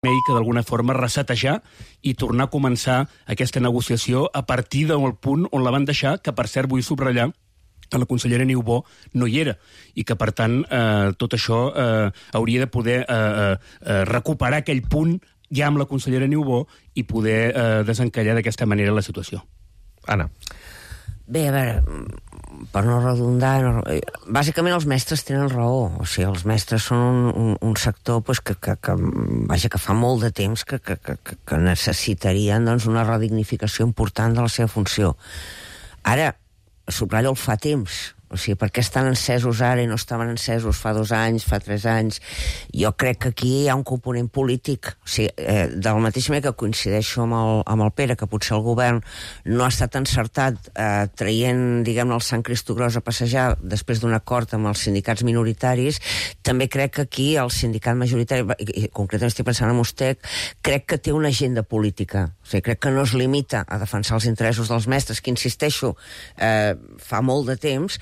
que d'alguna forma resetejar i tornar a començar aquesta negociació a partir del punt on la van deixar, que per cert vull subratllar que la consellera Niubó no hi era i que, per tant, tot això hauria de poder recuperar aquell punt ja amb la consellera Niubó i poder desencallar d'aquesta manera la situació. Anna. Bé, a veure, per no redundar, bàsicament els mestres tenen raó. O sigui, els mestres són un sector pues, que fa molt de temps que necessitarien doncs, una redignificació important de la seva funció. Ara, subratllo el fa temps. O sigui, per què estan encesos ara i no estaven encesos fa 2 anys, fa 3 anys? Jo crec que aquí hi ha un component polític. O sigui, de la mateixa manera que coincideixo amb el Pere, que potser el govern no ha estat encertat traient, diguem-ne, el Sant Cristogros a passejar després d'un acord amb els sindicats minoritaris, també crec que aquí el sindicat majoritari, i concretament estic pensant en Ustec, crec que té una agenda política. O sigui, crec que no es limita a defensar els interessos dels mestres, que insisteixo, fa molt de temps,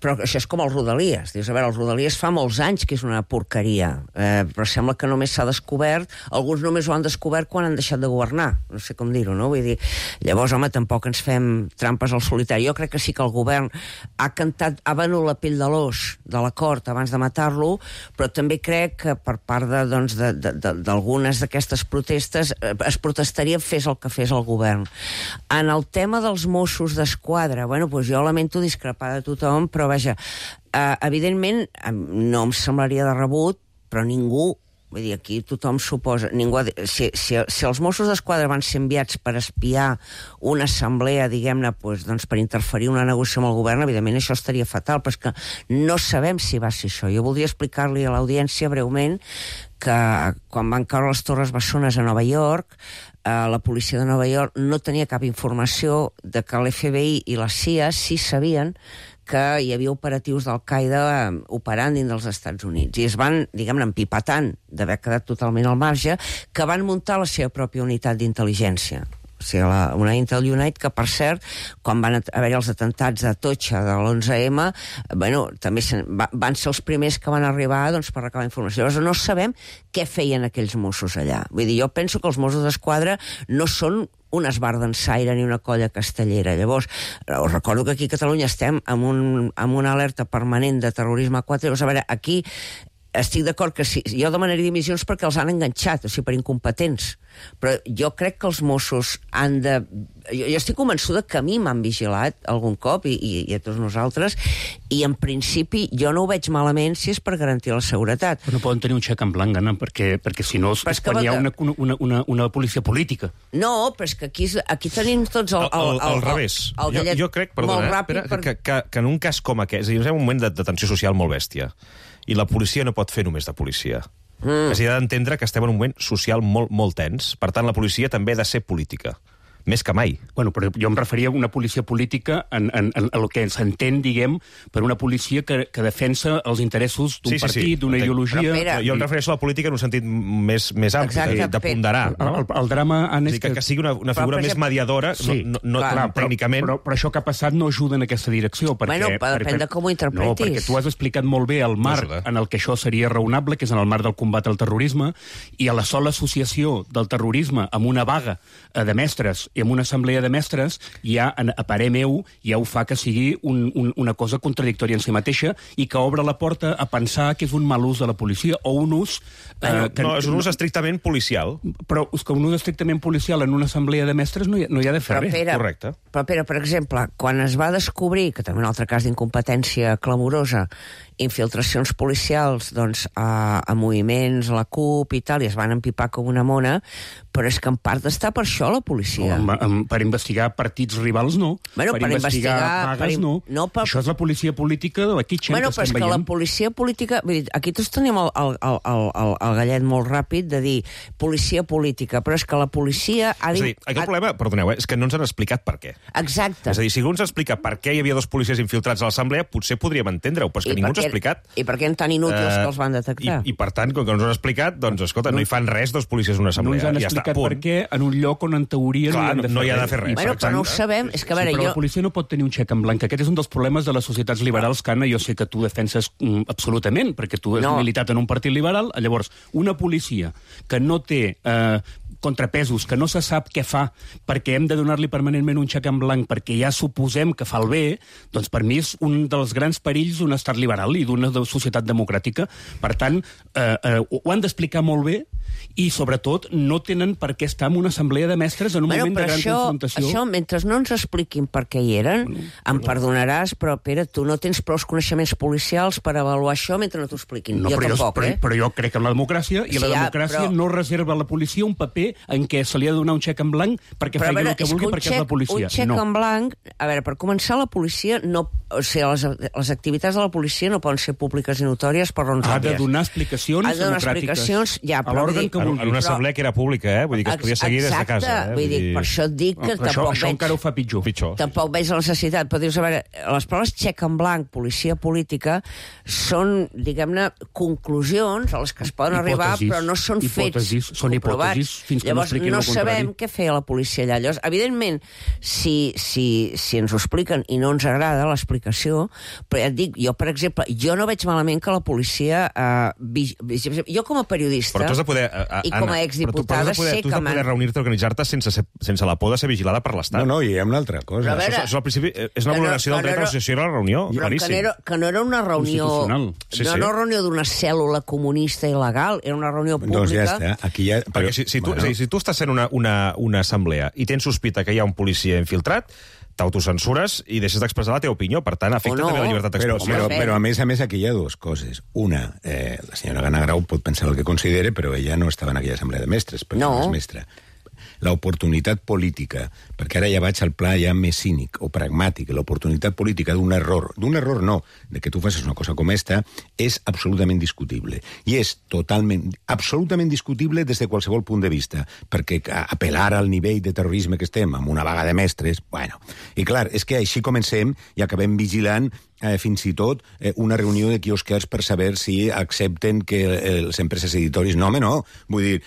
però això és com els Rodalies. Dius, a veure, els Rodalies fa molts anys que és una porqueria, però sembla que només s'ha descobert, alguns només ho han descobert quan han deixat de governar, no sé com dir-ho, no? Vull dir, llavors, home, tampoc ens fem trampes al solitari. Jo crec que sí que el govern ha venut la pell de l'os de l'acord abans de matar-lo, però també crec que per part d'algunes d'aquestes protestes es protestaria fes el que fes el govern. En el tema dels Mossos d'Esquadra, bueno, doncs jo lamento discrepar de tothom, però vaja, evidentment no em semblaria de rebut, però ningú, vull dir, aquí tothom suposa, si els Mossos d'Esquadra van ser enviats per espiar una assemblea, diguem-ne, doncs per interferir una negociació amb el govern, evidentment això estaria fatal, però és que no sabem si va ser això. Jo voldria explicar-li a l'audiència breument que quan van caure les Torres Bessones a Nova York, la policia de Nova York no tenia cap informació de que l'FBI i la CIA sí sabien que hi havia operatius d'Al-Qaeda operant dins dels Estats Units. I es van, diguem-ne, empipatant tant d'haver quedat totalment al marge, que van muntar la seva pròpia unitat d'intel·ligència. O sigui, una Intel Unit que, per cert, quan van haver-hi els atentats de Atocha de l'11M, bueno, també van ser els primers que van arribar doncs, per recabar informació. Llavors no sabem què feien aquells Mossos allà. Vull dir, jo penso que els Mossos d'Esquadra no són un esbardansaire ni una colla castellera. Llavors, us recordo que aquí a Catalunya estem amb una alerta permanent de terrorisme 4. Llavors, a veure, aquí estic d'acord que sí, jo demanaria dimissions perquè els han enganxat, o sigui, per incompetents. Però jo crec que els Mossos han de... Jo estic convençuda que a mi m'han vigilat algun cop i a tots nosaltres, i en principi jo no ho veig malament si és per garantir la seguretat. Però no poden tenir un xec en blanc, Anna, perquè si no és quan hi ha una policia política. No, però és que aquí tenim tots al revés. Jo crec, perdona, que en un cas com aquest, és a dir, és un moment de tensió social molt bèstia, i la policia no pot fer només de policia. S'ha d'entendre que estem en un moment social molt, molt tens. Per tant, la policia també ha de ser política. Més que mai. Bueno, però jo em referia a una policia política en el que s'entén, diguem, per una policia que defensa els interessos d'un partit, d'una ideologia... Jo em refereixo a la política en un sentit més ampli, de ponderar. El drama... Que sigui una figura més mediadora, no tècnicament... Però això que ha passat no ajuda en aquesta direcció. Bueno, depèn de com ho interpretis. No, perquè tu has explicat molt bé el marc en el que això seria raonable, que és en el marc del combat al terrorisme, i a la sola associació del terrorisme amb una vaga de mestres i amb una assemblea de mestres, ja, a parer meu, ja ho fa que sigui una cosa contradictòria en si mateixa i que obre la porta a pensar que és un mal ús de la policia o un ús... No, és un ús estrictament policial. Però és que un ús estrictament policial en una assemblea de mestres no hi ha de fer res. Correcte. Però, Pere, per exemple, quan es va descobrir, que també un altre cas d'incompetència clamorosa, infiltracions policials doncs, a moviments, a la CUP i tal, i es van empipar com una mona, però és que en part està per això la policia. Per investigar partits rivals, no. Bueno, per investigar vagues, no. Això és la policia política de la Kitchen, bueno, que estem veient. Bueno, però és que la policia política... Vull dir, aquí tots tenim el gallet molt ràpid de dir policia política, però és que la policia... És a dir, aquest problema, perdoneu, és que no ens han explicat per què. Exacte. És a dir, si algú ens explica per què hi havia 2 policies infiltrats a l'assemblea, potser podríem entendre-ho, però és que ningú ens ha explicat. I per què eren tan inútils que els van detectar? I per tant, com que no ens ho han explicat, doncs, escolta, no hi fan res 2 policies en una assemblea. No ens han explicat per què en un lloc on en teoria no no hi ha de fer res. Bueno, però no ho sabem. És que, a veure, però la policia no pot tenir un xec en blanc. Aquest és un dels problemes de les societats liberals que, Anna, jo sé que tu defenses absolutament, perquè tu has militat en un partit liberal. Llavors, una policia que no té contrapesos, que no se sap què fa perquè hem de donar-li permanentment un xec en blanc perquè ja suposem que fa el bé, doncs per mi és un dels grans perills d'un estat liberal i d'una societat democràtica. Per tant, ho han d'explicar molt bé i, sobretot, no tenen per què estar en una assemblea de mestres en un moment de gran confrontació. Això, mentre no ens expliquin per què hi eren, em perdonaràs, però, Pere, tu no tens prou coneixements policials per avaluar això mentre no t'ho expliquin. No, però jo crec en la democràcia, i la democràcia no reserva a la policia un paper en què se li ha de donar un xec en blanc perquè faci el que vulgui perquè és la policia. Un xec en blanc... A veure, per començar, la policia no... O sigui, les activitats de la policia no poden ser públiques i notòries per raons òbvies. Ha de donar explicacions democràtiques. Ha de donar explicacions, ja, però... En una assemblea que era pública, vull dir que es podia seguir des de casa. Exacte, vull dir, per això et dic que tampoc això encara ho fa pitjor. Tampoc veig la necessitat, però dius, a veure, les paraules xec en blanc, policia política, són, diguem-ne, conclusions a les que es poden arribar, però no són fets són hipòtesis fins que no expliquin el contrari. Llavors, no sabem què feia la policia allà. Llavors, evidentment, si ens ho expliquen i no ens agrada l'explicació, però ja et dic, jo, per exemple, jo no veig malament que la policia... Jo, com a periodista... Però tu has de poder... I com a exdiputada sé que... Tu has de poder reunir-te i organitzar-te sense la por de ser vigilada per l'Estat. No, hi ha una altra cosa. Això al principi és una vulneració del dret a l'associació i a la reunió. Que no era una reunió... No era una reunió d'una cèl·lula comunista il·legal, era una reunió pública... Doncs ja està, aquí ja... Perquè si tu estàs fent una assemblea i tens sospita que hi ha un policia infiltrat, t'autocensures i deixes d'expressar la teva opinió. Per tant, afecta també la llibertat d'expressió. Però a més, aquí hi ha dues coses. Una, la senyora Gana Grau pot pensar el que considere, però ella no estava en aquella assemblea de mestres, perquè no és mestra. L'oportunitat política, perquè ara ja vaig al pla ja més cínic o pragmàtic, l'oportunitat política d'un error no, de que tu facis una cosa com esta, és absolutament discutible. I és absolutament discutible des de qualsevol punt de vista, perquè apel·lar al nivell de terrorisme que estem, amb una vaga de mestres, bueno. I clar, és que així comencem i acabem vigilant fins i tot una reunió de quiosquers per saber si accepten que les empreses editoris... No, home, no. Vull dir,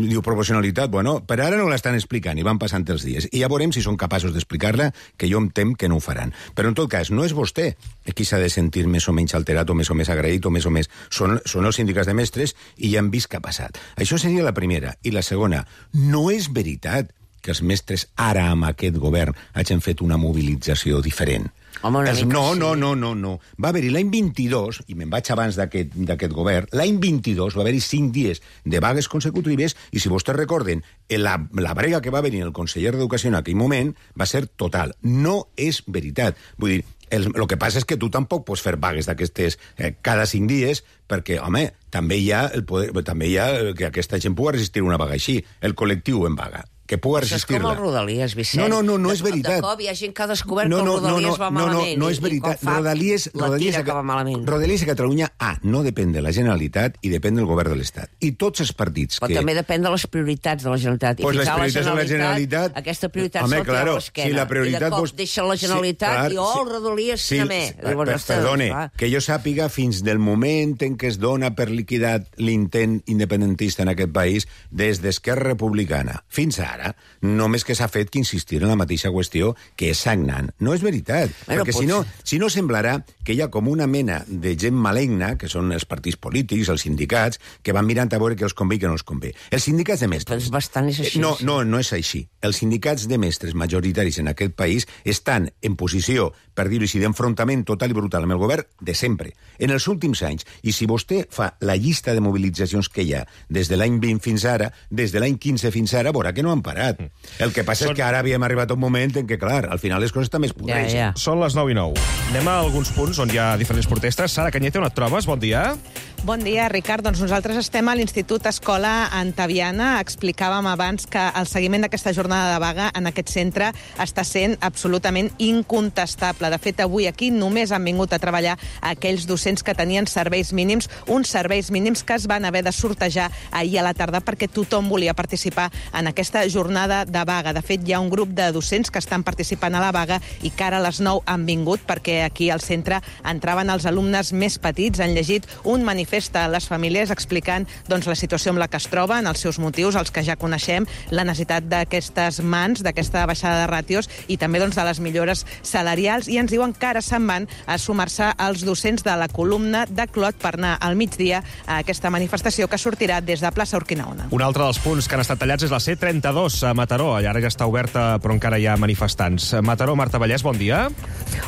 diu proporcionalitat. Bueno, per ara no l'estan explicant i van passant els dies. I ja veurem si són capaços d'explicar-la, que jo em tem que no ho faran. Però, en tot cas, no és vostè qui s'ha de sentir més o menys alterat o més agraït o més o més. Són els sindicats de mestres i ja han vist què ha passat. Això seria la primera. I la segona, no és veritat que els mestres ara amb aquest govern hagin fet una mobilització diferent. Home, No. Va haver-hi l'any 22, i me'n vaig abans d'aquest govern, l'any 22 va haver-hi 5 dies de vagues consecutives i, si vostès recorden, la brega que va venir el conseller d'Educació en aquell moment va ser total. No és veritat. Vull dir, el que passa és que tu tampoc pots fer vagues d'aquestes cada 5 dies perquè, home, també hi ha que aquesta gent pugui resistir una vaga així. El col·lectiu en vaga. Que pugui resistir-la. Això és com el Rodalies, Vicent. No és veritat. De cop hi ha gent que ha descobert que el Rodalies va malament. No és veritat. Rodalies que va malament. Rodalies a Catalunya, no depèn de la Generalitat i depèn del govern de l'Estat. I tots els partits Però també depèn de les prioritats de la Generalitat. Pues les prioritats de la Generalitat... Aquesta prioritat se la té a l'esquena. I de cop deixa la Generalitat i el Rodalies també. Perdone, que jo sàpiga, fins del moment en què es dona per liquidat l'intent independentista en aquest país, des d'Esquerra Republicana fins ara, només que s'ha fet que insistir en la mateixa qüestió, que és sagnant. No és veritat, perquè si no semblarà que hi ha com una mena de gent maligna, que són els partits polítics, els sindicats, que van mirant a veure què els convé i què no els convé. Els sindicats de mestres... Doncs bastant és així. No és així. Els sindicats de mestres majoritaris en aquest país estan en posició, per dir-ho així, d'enfrontament total i brutal amb el govern de sempre. En els últims anys, i si vostè fa la llista de mobilitzacions que hi ha des de l'any 20 fins ara, des de l'any 15 fins ara, veurà que no han parat. El que passa és que ara havíem arribat a un moment en què, clar, al final les coses també es podreixen. Ja. Són les 9:09. Anem a alguns punts on hi ha diferents protestes. Sara Cañete, on et trobes? Bon dia. Bon dia, Ricard. Doncs nosaltres estem a l'Institut Escola Antaviana. Explicàvem abans que el seguiment d'aquesta jornada de vaga en aquest centre està sent absolutament incontestable. De fet, avui aquí només han vingut a treballar aquells docents que tenien serveis mínims, uns serveis mínims que es van haver de sortejar ahir a la tarda perquè tothom volia participar en aquesta jornada de vaga. De fet, hi ha un grup de docents que estan participant a la vaga i que ara a les 9 han vingut perquè aquí al centre entraven els alumnes més petits, han llegit un manifest manifesta les famílies explicant doncs, la situació amb la que es troben, els seus motius, els que ja coneixem, la necessitat d'aquestes mans, d'aquesta baixada de ràtios i també doncs, de les millores salarials, i ens diuen que ara se'n van a sumar-se als docents de la columna de Clot per anar al migdia a aquesta manifestació que sortirà des de plaça Urquinaona. Un altre dels punts que han estat tallats és la C32 a Mataró. Ara ja està oberta, però encara hi ha manifestants. Mataró, Marta Vallès, bon dia.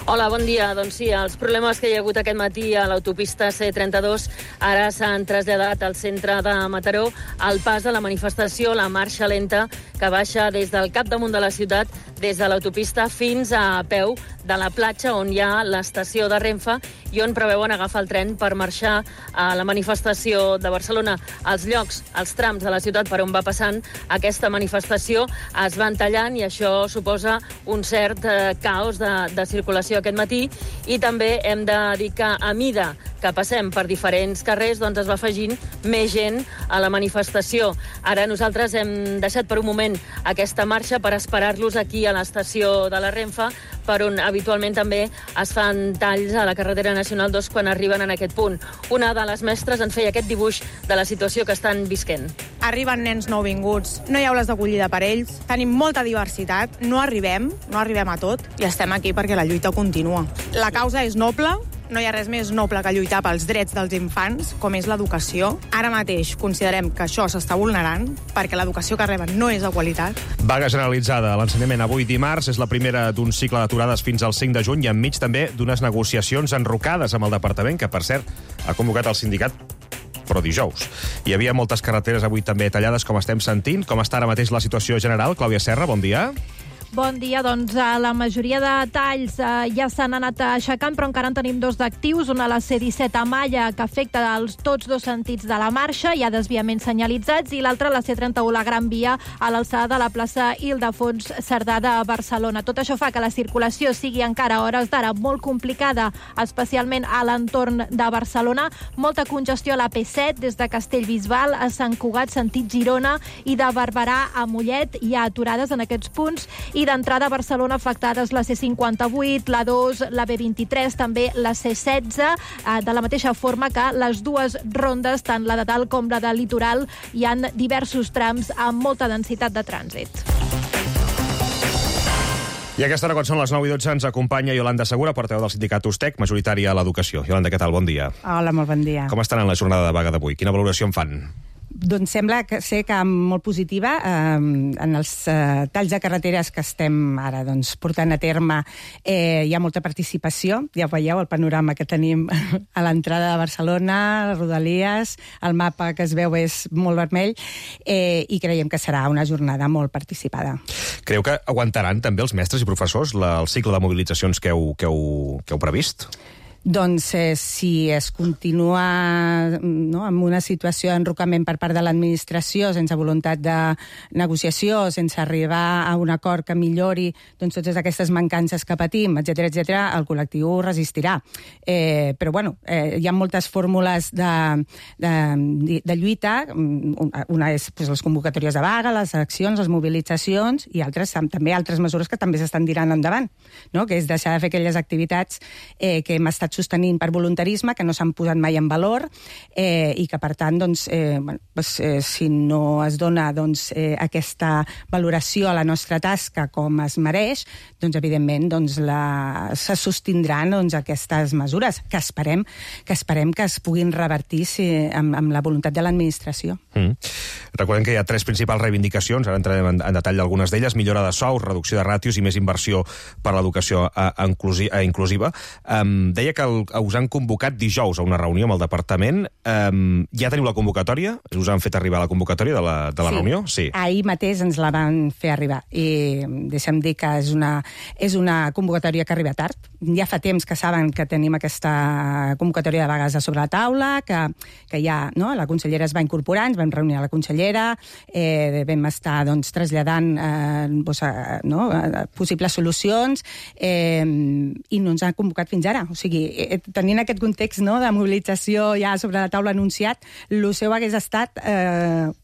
Hola, bon dia. Doncs sí, els problemes que hi ha hagut aquest matí a l'autopista C32 ara s'han traslladat al centre de Mataró al pas de la manifestació, la marxa lenta que baixa des del capdamunt de la ciutat, des de l'autopista fins a peu de la platja on hi ha l'estació de Renfe i on preveuen agafar el tren per marxar a la manifestació de Barcelona. Els llocs, els trams de la ciutat per on va passant aquesta manifestació es van tallant i això suposa un cert caos de circulació aquest matí, i també hem de dir que a mida que passem per diferents carrers doncs es va afegint més gent a la manifestació. Ara nosaltres hem deixat per un moment aquesta marxa per esperar-los aquí a l'estació de la Renfe, per on habitualment també es fan talls a la carretera nacional 2 quan arriben en aquest punt. Una de les mestres ens feia aquest dibuix de la situació que estan visquent. Arriben nens nouvinguts, no hi ha aules d'acollida per ells, tenim molta diversitat, no arribem a tot i estem aquí perquè la lluita continua. La causa és noble, no hi ha res més noble que lluitar pels drets dels infants, com és l'educació. Ara mateix considerem que això s'està vulnerant perquè l'educació que reben no és de qualitat. Vaga generalitzada a l'ensenyament avui dimarts. És la primera d'un cicle d'aturades fins al 5 de juny i enmig també d'unes negociacions enrocades amb el departament, que per cert ha convocat el sindicat però dijous. Hi havia moltes carreteres avui també tallades, com estem sentint. Com està ara mateix la situació general? Clàudia Serra, bon dia. Bon dia, doncs la majoria de talls ja s'han anat aixecant, però encara en tenim dos d'actius. Una a la C-17 a Malla, que afecta tots dos sentits de la marxa, hi ha desviaments senyalitzats, i l'altra la C-31, la Gran Via, a l'alçada de la plaça Ildefons Cerdà de Barcelona. Tot això fa que la circulació sigui encara a hores d'ara molt complicada, especialment a l'entorn de Barcelona. Molta congestió a la P7 des de Castellbisbal a Sant Cugat, sentit Girona, i de Barberà a Mollet. Hi ha aturades en aquests punts, i d'entrada a Barcelona afectades la C58, la 2, la B23, també la C16, de la mateixa forma que les dues rondes, tant la de dalt com la de litoral, hi ha diversos trams amb molta densitat de trànsit. I a aquesta hora, quan són les 9:12, ens acompanya Iolanda Segura, portaveu del sindicat USTEC, majoritària a l'educació. Iolanda, què tal? Bon dia. Hola, molt bon dia. Com estan en la jornada de vaga d'avui? Quina valoració en fan? Doncs sembla ser que molt positiva en els talls de carreteres que estem ara portant a terme. Hi ha molta participació, ja veieu el panorama que tenim a l'entrada de Barcelona, les Rodalies, el mapa que es veu és molt vermell, i creiem que serà una jornada molt participada. Creu que aguantaran també els mestres i professors el cicle de mobilitzacions que heu previst? Doncs si es continua amb una situació d'enrocament per part de l'administració, sense voluntat de negociació, sense arribar a un acord que millori totes aquestes mancances que patim, etc., el col·lectiu resistirà. Però, hi ha moltes fórmules de lluita. Una és les convocatòries de vaga, les accions, les mobilitzacions, i també altres mesures que també s'estan tirant endavant, que és deixar de fer aquelles activitats que hem estat sostenint per voluntarisme, que no s'han posat mai en valor, i que, per tant, si no es dona aquesta valoració a la nostra tasca com es mereix, evidentment se sostindran aquestes mesures, que esperem que es puguin revertir amb la voluntat de l'administració. Recordem que hi ha 3 principals reivindicacions, ara entrarem en detall d'algunes d'elles: millora de sous, reducció de ràtios i més inversió per a l'educació inclusiva. Deia que us han convocat dijous a una reunió amb el departament. Ja teniu la convocatòria? Us han fet arribar la convocatòria de la reunió? Sí, ahir mateix ens la van fer arribar. I deixa'm dir que és una convocatòria que arriba tard. Ja fa temps que saben que tenim aquesta convocatòria de vagues a sobre la taula, que ja la consellera es va incorporar, ens vam reunir a la consellera, vam estar traslladant possibles solucions, i no ens han convocat fins ara. O sigui, tenint aquest context de mobilització ja sobre la taula anunciat, el seu hagués estat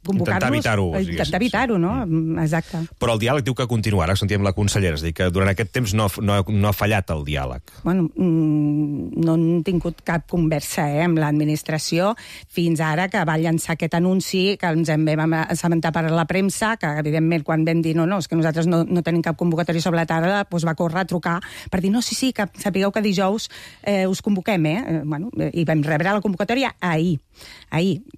convocar-nos... Intentar evitar-ho, no? Exacte. Però el diàleg diu que continuarà, sentíem la consellera, és a dir, que durant aquest temps no ha fallat el diàleg. diàleg? Bueno, no han tingut cap conversa amb l'administració fins ara que va llançar aquest anunci que ens en vam assabentar per la premsa, que evidentment quan vam dir no, és que nosaltres no tenim cap convocatòria sobre la taula, doncs va córrer a trucar per dir no, sí, que sapigueu que dijous us convoquem, Bueno, i vam rebre la convocatòria ahir.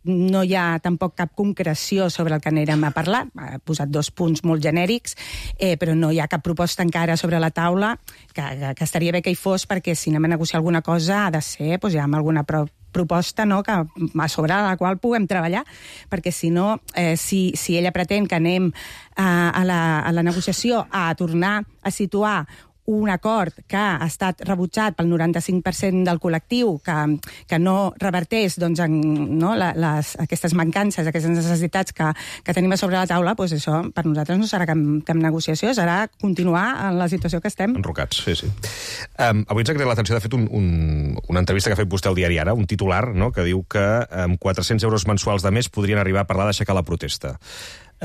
No hi ha tampoc cap concreció sobre el que anirem a parlar. Ha posat 2 punts molt genèrics, però no hi ha cap proposta encara sobre la taula, que estaria bé que hi fos, perquè si anem a negociar alguna cosa ha de ser ja amb alguna proposta, no?, que a sobre la qual puguem treballar, perquè si no, si ella pretén que anem a la negociació a tornar a situar un acord que ha estat rebutjat pel 95% del col·lectiu, que no reverteix aquestes mancances, aquestes necessitats que tenim a sobre la taula, doncs això per nosaltres no serà cap negociació, serà continuar en la situació que estem. Enrocats, sí. Avui ens ha creat l'atenció, de fet, una entrevista que ha fet vostè al diari Ara, un titular, no?, que diu que amb 400 euros mensuals de més podrien arribar a parlar d'aixecar la protesta.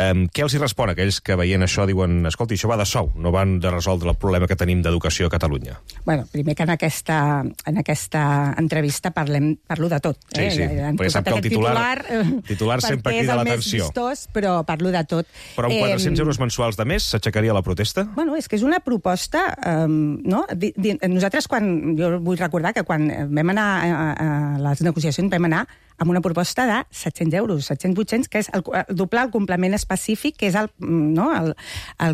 Què els hi respon a aquells que veient això diuen escolti, això va de sou, no van de resoldre el problema que tenim d'educació a Catalunya? Bueno, primer que en aquesta entrevista parlo de tot. Sí, perquè sap que el titular sempre crida l'atenció. Però parlo de tot. Però amb 400 euros mensuals de més s'aixecaria la protesta? Bueno, és que és una proposta, no? Nosaltres, jo vull recordar que quan vam anar a les negociacions vam anar amb una proposta de 700 euros, 700-800, que és doblar el complement específic, que és el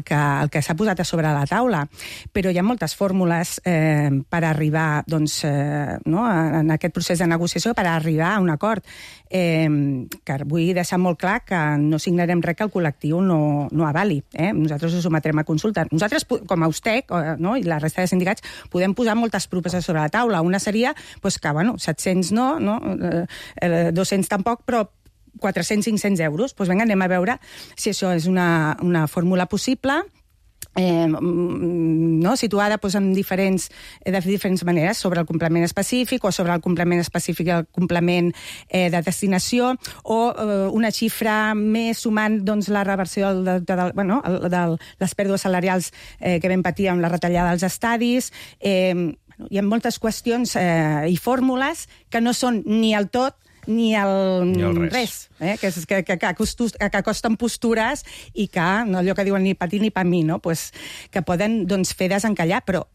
que s'ha posat a sobre la taula. Però hi ha moltes fórmules per arribar en aquest procés de negociació, per arribar a un acord. Que vull deixar molt clar que no signarem res que el col·lectiu no avali. Nosaltres ho sometrem a consulta. Nosaltres, com a USTEC i la resta de sindicats, podem posar moltes propostes sobre la taula. Una seria que, 700 no, 200 tampoc, però 400-500 euros. Doncs vinga, anem a veure si això és una fórmula possible, situada de diferents maneres, sobre el complement específic o sobre el complement específic i el complement de destinació, o una xifra més sumant la reversió de les pèrdues salarials que vam patir amb la retallada dels estadis. Hi ha moltes qüestions i fórmules que no són ni el tot ni el res, que costen postures i que, allò que diuen ni patir ni pa mi, que poden fer desencallar, però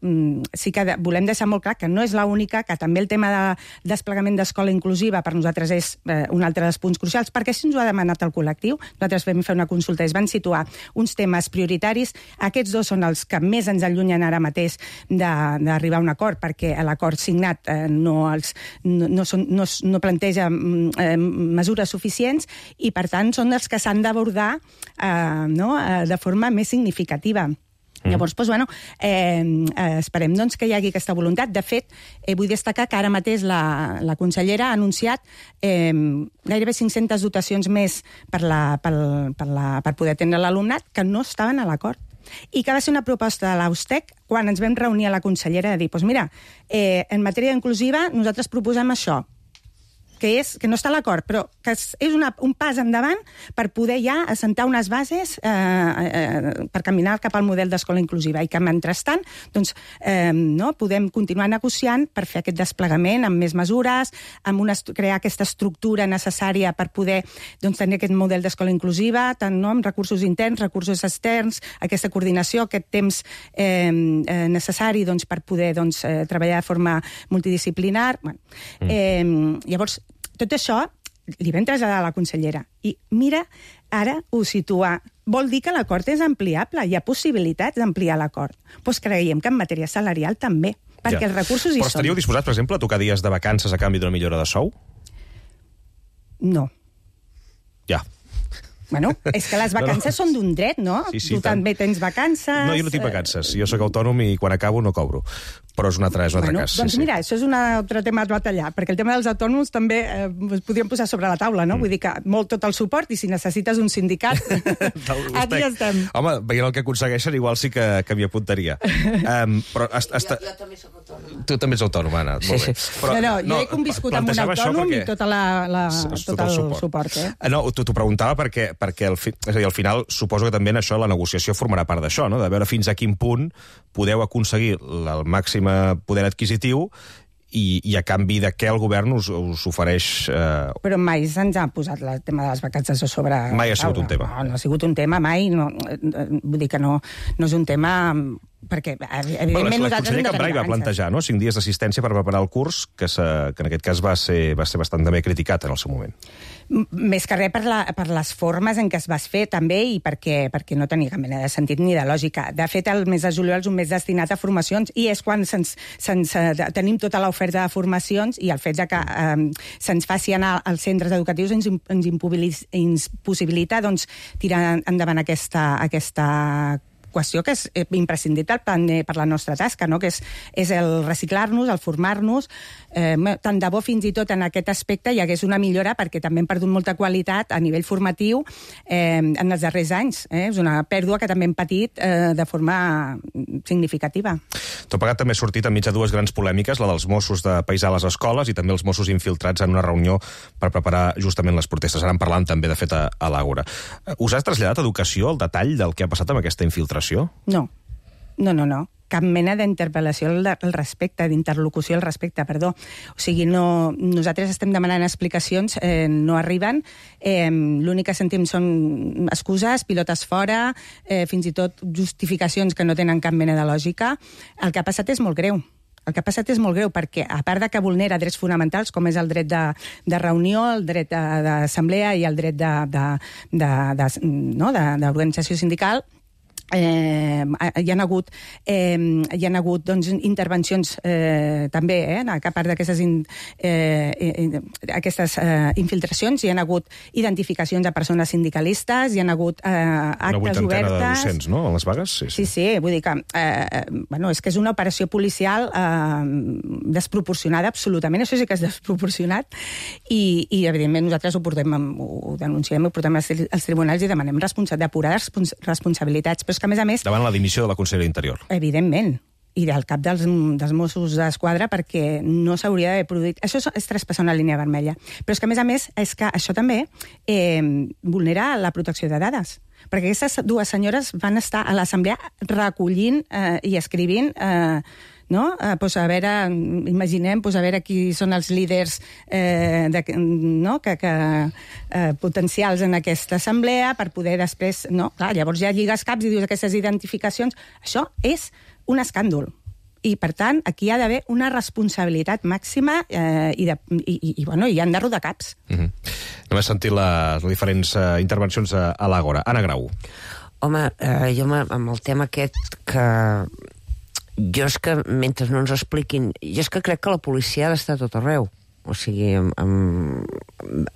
sí que volem deixar molt clar que no és l'única, que també el tema de desplegament d'escola inclusiva per nosaltres és un altre dels punts crucials, perquè si ens ho ha demanat el col·lectiu, nosaltres vam fer una consulta i es van situar uns temes prioritaris. Aquests 2 són els que més ens allunyen ara mateix d'arribar a un acord, perquè l'acord signat no planteja mesures suficients i, per tant, són els que s'han d'abordar de forma més significativa. Llavors, esperem que hi hagi aquesta voluntat. De fet, vull destacar que ara mateix la consellera ha anunciat gairebé 500 dotacions més per poder atendre l'alumnat que no estaven a l'acord. I que va ser una proposta de l'AUSTEC quan ens vam reunir a la consellera de dir, en matèria inclusiva nosaltres proposem això, que no està a l'acord, però que és un pas endavant per poder ja assentar unes bases per caminar cap al model d'escola inclusiva i que, mentrestant, podem continuar negociant per fer aquest desplegament amb més mesures, crear aquesta estructura necessària per poder tenir aquest model d'escola inclusiva, tant amb recursos interns, recursos externs, aquesta coordinació, aquest temps necessari per poder treballar de forma multidisciplinar. Llavors, tot això li vam traslladar a la consellera. I mira, ara ho situa. Vol dir que l'acord és ampliable, hi ha possibilitats d'ampliar l'acord. Doncs creiem que en matèria salarial també, perquè els recursos hi són. Però estaríeu disposats, per exemple, a tocar dies de vacances a canvi d'una millora de sou? No. Ja. Bueno, és que les vacances són d'un dret, no? Sí, tu també tens vacances... No, jo no tinc vacances. Jo sóc autònom i quan acabo no cobro. Però és un altre cas. Doncs mira, això és un altre tema a batallar, perquè el tema dels autònoms també podríem posar sobre la taula, no? Vull dir que molt tot el suport, i si necessites un sindicat, aquí estem. Home, veient el que aconsegueixen, igual sí que m'hi apuntaria. Jo també soc autònoma. Tu també ets autònom, Anna. Sí. Però, jo he conviscut amb un autònom i tot el suport. No, t'ho preguntava perquè al final suposo que també en això la negociació formarà part d'això, no? De veure fins a quin punt podeu aconseguir el màxim poder adquisitiu i a canvi de què el govern us ofereix... Però mai se'ns ha posat el tema de les vacances a sobre... Mai ha sigut un tema. No ha sigut un tema, mai. Vull dir que no és un tema... Perquè, evidentment, la consellera Cambray va plantejar 5 dies d'assistència per preparar el curs, que en aquest cas va ser bastant també criticat en el seu moment. Més que res per les formes en què es va fer, també, i perquè no tenia cap mena de sentit ni de lògica. De fet, el mes de juliol és un mes destinat a formacions, i és quan tenim tota l'oferta de formacions, i el fet que se'ns faci anar als centres educatius ens impossibilita tirar endavant aquesta qüestió que és imprescindible per la nostra tasca, no? Que és el reciclar-nos, el formar-nos. Tant de bo fins i tot en aquest aspecte hi hagués una millora, perquè també hem perdut molta qualitat a nivell formatiu en els darrers anys. És una pèrdua que també hem patit de forma significativa. Tot plegat també ha sortit enmig de dues grans polèmiques, la dels Mossos de paisar a les escoles i també els Mossos infiltrats en una reunió per preparar justament les protestes. Ara en parlant també, de fet, a l'Àgora. Us has traslladat a Educació el detall del que ha passat amb aquesta infiltració? No. Cap mena d'interpel·lació al respecte, d'interlocució al respecte, perdó. O sigui, nosaltres estem demanant explicacions, no arriben, l'únic que sentim són excuses, pilotes fora, fins i tot justificacions que no tenen cap mena de lògica. El que ha passat és molt greu. Perquè, a part de que vulnera drets fonamentals, com és el dret de reunió, el dret d'assemblea i el dret d'organització sindical, hi ha hagut intervencions també, a part d'aquestes infiltracions, hi ha hagut identificacions de persones sindicalistes, hi ha hagut actes obertes... Una vuitantena de docents, no?, a les vagues? Sí, vull dir que és que és una operació policial desproporcionada, absolutament, això sí que és desproporcionat, i evidentment nosaltres ho denunciem, ho portem als tribunals i demanem depurar responsabilitats, però és que, a més... Davant la dimissió de la consellera d'Interior. Evidentment. I del cap dels Mossos d'Esquadra, perquè no s'hauria d'haver produït... Això és traspassar una línia vermella. Però és que, a més, és que això també vulnera la protecció de dades. Perquè aquestes dues senyores van estar a l'assemblea recollint i escrivint... imaginem a veure qui són els líders potencials en aquesta assemblea per poder després... Llavors ja lligues caps i dius aquestes identificacions. Això és un escàndol. I, per tant, aquí hi ha d'haver una responsabilitat màxima i han de rodar caps. Només sentit les diferents intervencions a l'Àgora. Anna Grau. Home, jo amb el tema aquest que... Jo és que, mentre no ens expliquin... Jo és que crec que la policia ha d'estar a tot arreu. O sigui,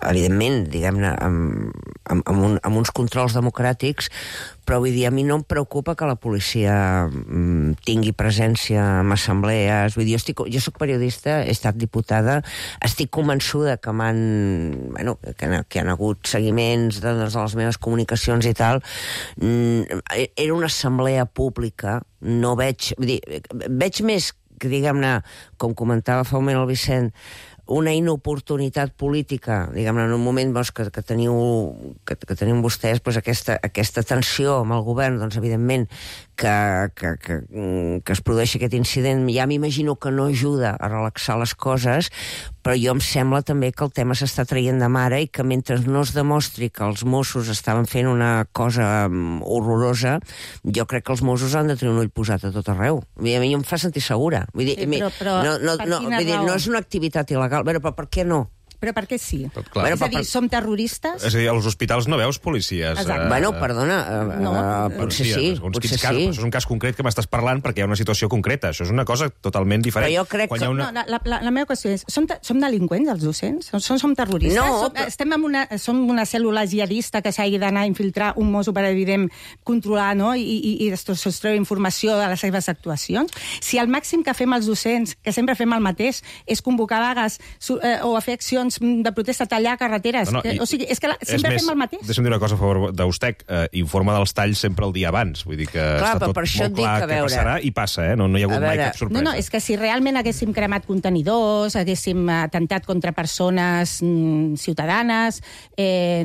evidentment, diguem-ne, amb uns controls democràtics, però vull dir, a mi no em preocupa que la policia tingui presència en assemblees. Vull dir, jo soc periodista, he estat diputada, estic convençuda que que han hagut seguiments de les meves comunicacions i tal. Era una assemblea pública, no veig... Vull dir, veig més que, diguem-ne, com comentava fa un moment el Vicent, una inoportunitat política, diguem-ne, en un moment que teniu vostès aquesta tensió amb el govern, doncs evidentment que es produeixi aquest incident, ja m'imagino que no ajuda a relaxar les coses, però jo em sembla també que el tema s'està traient de mare i que mentre no es demostri que els Mossos estaven fent una cosa horrorosa, jo crec que els Mossos han de tenir un ull posat a tot arreu. A mi em fa sentir segura. Vull dir, no és una activitat il·legal. Però per què no? Però per què sí? És a dir, som terroristes? És a dir, als hospitals no veus policies. Bueno, perdona, potser sí. Això és un cas concret que m'estàs parlant perquè hi ha una situació concreta. Això és una cosa totalment diferent. Però jo crec que... La meva qüestió és, som delinqüents, els docents? Som terroristes? No. Som una cèl·lula jihadista que s'hagi d'anar a infiltrar un mosso per, evident, controlar, no? I extreure informació de les seves actuacions? Si el màxim que fem els docents, que sempre fem el mateix, és convocar vagues o a fer accions manifestacions de protesta, tallar carreteres. O sigui, és que sempre fem el mateix. Deixa'm dir una cosa a favor d'Eustec. Informa dels talls sempre el dia abans. Vull dir que està tot molt clar que passarà i passa, no hi ha hagut mai cap sorpresa. No, és que si realment haguéssim cremat contenidors, haguéssim atemptat contra persones ciutadanes,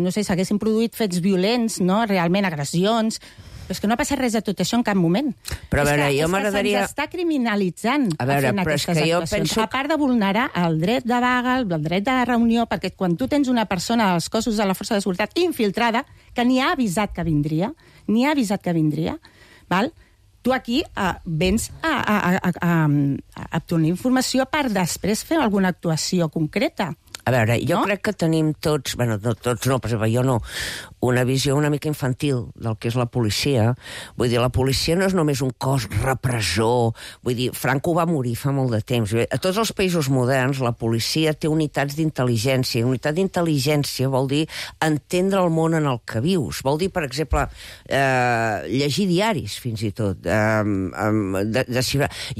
no sé, s'haguessin produït fets violents, no? Realment agressions... Però és que no ha passat res de tot això en cap moment. Però a veure, jo m'agradaria... Se'ns està criminalitzant fent aquestes actuacions. A part de vulnerar el dret de vaga, el dret de reunió, perquè quan tu tens una persona als cossos de la força de seguretat infiltrada, que ni ha avisat que vindria, val? Tu aquí vens a obtenir informació per després fer alguna actuació concreta. A veure, jo crec que tenim tots, bueno, tots no, per exemple, jo no, una visió una mica infantil del que és la policia. Vull dir, la policia no és només un cos repressor. Vull dir, Franco va morir fa molt de temps. A tots els països moderns la policia té unitats d'intel·ligència. Unitat d'intel·ligència vol dir entendre el món en el que vius. Vol dir, per exemple, llegir diaris, fins i tot. Jo,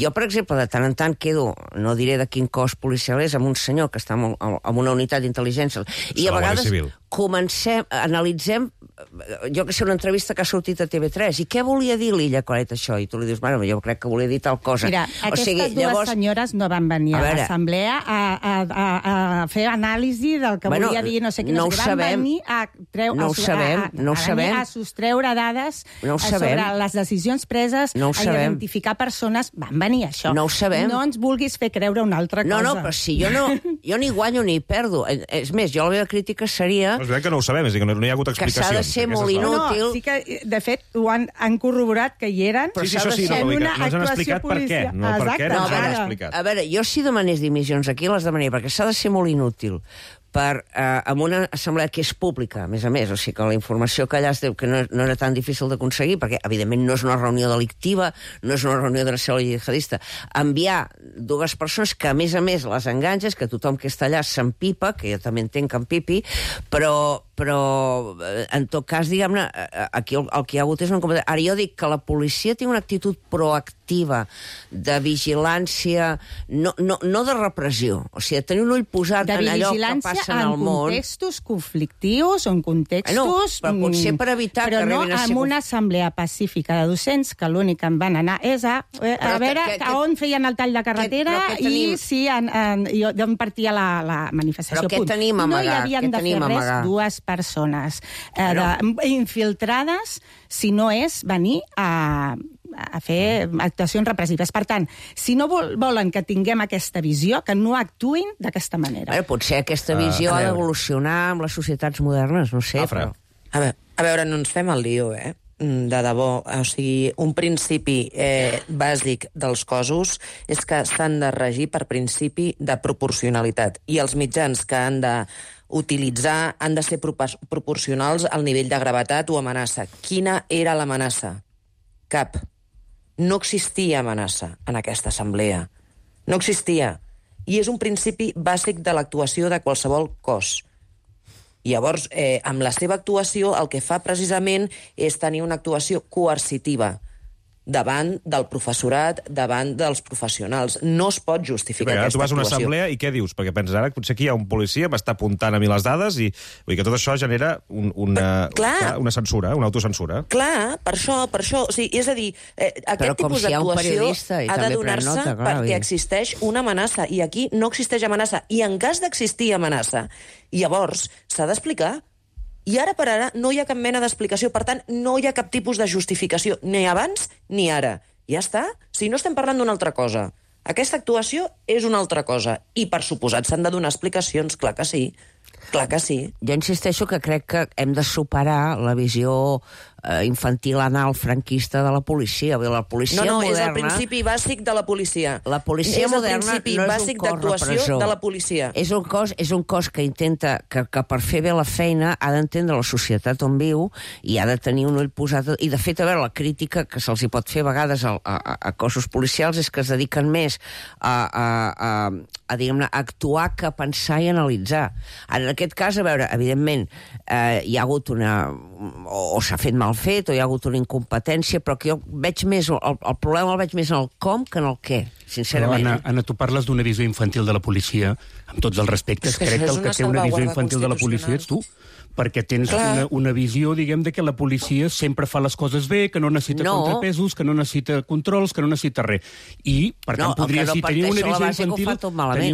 per exemple, de tant en tant quedo, no diré de quin cos policial és, amb un senyor que està amb una unitat d'intel·ligència. I a vegades analitzem, jo que sé, una entrevista que ha sortit a TV3, i què volia dir l'Illa Claret això? I tu li dius, bueno, jo crec que volia dir tal cosa. Mira, aquestes dues senyores no van venir a l'assemblea a fer anàlisi del que volia dir, no sé què, van venir a sostreure dades sobre les decisions preses, a identificar persones, van venir a això. No ho sabem. No ens vulguis fer creure una altra cosa. No, però si jo ni guanyo ni perdo. És més, jo la meva crítica seria... És veritat que no ho sabem, és a dir, que no hi ha hagut explicacions. Que s'ha de ser molt inútil. No, sí que, de fet, ho han corroborat que hi eren, però s'ha de ser una actuació policial. No ens han explicat per què, no ens han explicat. A veure, jo si demanés dimissions aquí les demanaria, perquè s'ha de ser molt inútil amb una assemblea que és pública, a més, o sigui que la informació que allà es diu que no era tan difícil d'aconseguir, perquè evidentment no és una reunió delictiva, no és una reunió de la cèl·lula jihadista, enviar dues persones que a més les enganxes, que tothom que està allà s'empipa, que jo també entenc que empipi, però en tot cas, diguem-ne, aquí el que hi ha hagut és una competència. Ara jo dic que la policia té una actitud proactiva de vigilància, no de repressió, o sigui, de tenir un ull posat en allò que passa en el món. En contextos conflictius o en contextos... Però potser per evitar que arribin a ser... Però no en una assemblea pacífica de docents, que l'únic que en van anar és a veure on feien el tall de carretera i si d'on partia la manifestació. Però què tenim amagat? No hi havien de fer res dues persones infiltrades si no és venir a fer actuacions repressives. Per tant, si no volen que tinguem aquesta visió, que no actuïn d'aquesta manera. Potser aquesta visió ha d'evolucionar amb les societats modernes, no sé. A veure, no ens fem el lío, de debò. O sigui, un principi bàsic dels cossos és que s'han de regir per principi de proporcionalitat, i els mitjans que han de utilitzar han de ser proporcionals al nivell de gravetat o amenaça. Quina era l'amenaça? Cap. No existia amenaça en aquesta assemblea. No existia. I és un principi bàsic de l'actuació de qualsevol cos. Llavors, amb la seva actuació, el que fa precisament és tenir una actuació coercitiva davant del professorat, davant dels professionals. No es pot justificar aquesta actuació. Tu vas a una assemblea i què dius? Perquè penses, ara potser aquí hi ha un policia, m'està apuntant a mi les dades i vull dir que tot això genera una censura, una autocensura. Clar, per això. O sigui, és a dir, aquest tipus d'actuació ha de donar-se perquè existeix una amenaça, i aquí no existeix amenaça. I en cas d'existir amenaça, llavors s'ha d'explicar. I ara per ara no hi ha cap mena d'explicació, per tant, no hi ha cap tipus de justificació, ni abans ni ara. Ja està? Si no estem parlant d'una altra cosa. Aquesta actuació és una altra cosa. I, per suposat, s'han de donar explicacions, clar que sí. Clar que sí. Jo insisteixo que crec que hem de superar la visió infantil anal franquista de la policia. La policia moderna... és el principi bàsic de la policia. La policia moderna no és un cos repressor. És el principi bàsic d'actuació de la policia. És un cos que intenta, que per fer bé la feina ha d'entendre la societat on viu i ha de tenir un ull posat... I, de fet, a veure, la crítica que se'ls hi pot fer a vegades a cossos policials és que es dediquen més a diguem-ne, actuar que a pensar i analitzar. En aquest cas, a veure, evidentment, hi ha hagut o s'ha fet mal mal fet o hi ha hagut una incompetència, però que jo veig més, el problema el veig més en el com que en el què, sincerament. Però, Anna, tu parles d'una visió infantil de la policia, amb tots els respectes. Crec que el que té una visió infantil de la policia ets tu, perquè tens una visió, diguem, de que la policia sempre fa les coses bé, que no necessita contrapesos, que no necessita controls, que no necessita res. I, per tant, podria ser tenir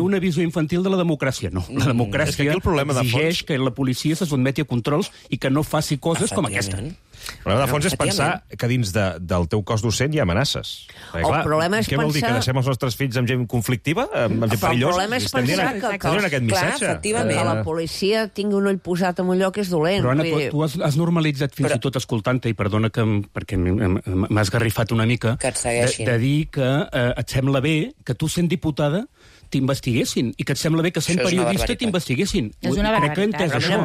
una visió infantil de la democràcia. No, la democràcia exigeix que la policia se sotmeti a controls i que no faci coses com aquesta. El problema de fons és pensar que dins del teu cos docent hi ha amenaces. El problema és què vol dir, que deixem els nostres fills amb gent conflictiva? Amb gent perillosa? El problema és pensar que la policia tingui un ull posat en un lloc és dolent. Però, Anna, tu has normalitzat fins i tot escoltant-te, i perdona perquè m'has garrifat una mica, de dir que et sembla bé que tu, sent diputada, t'investiguessin, i que et sembla bé que sent periodista t'investiguessin. És una barbaritat. Crec que he entès això.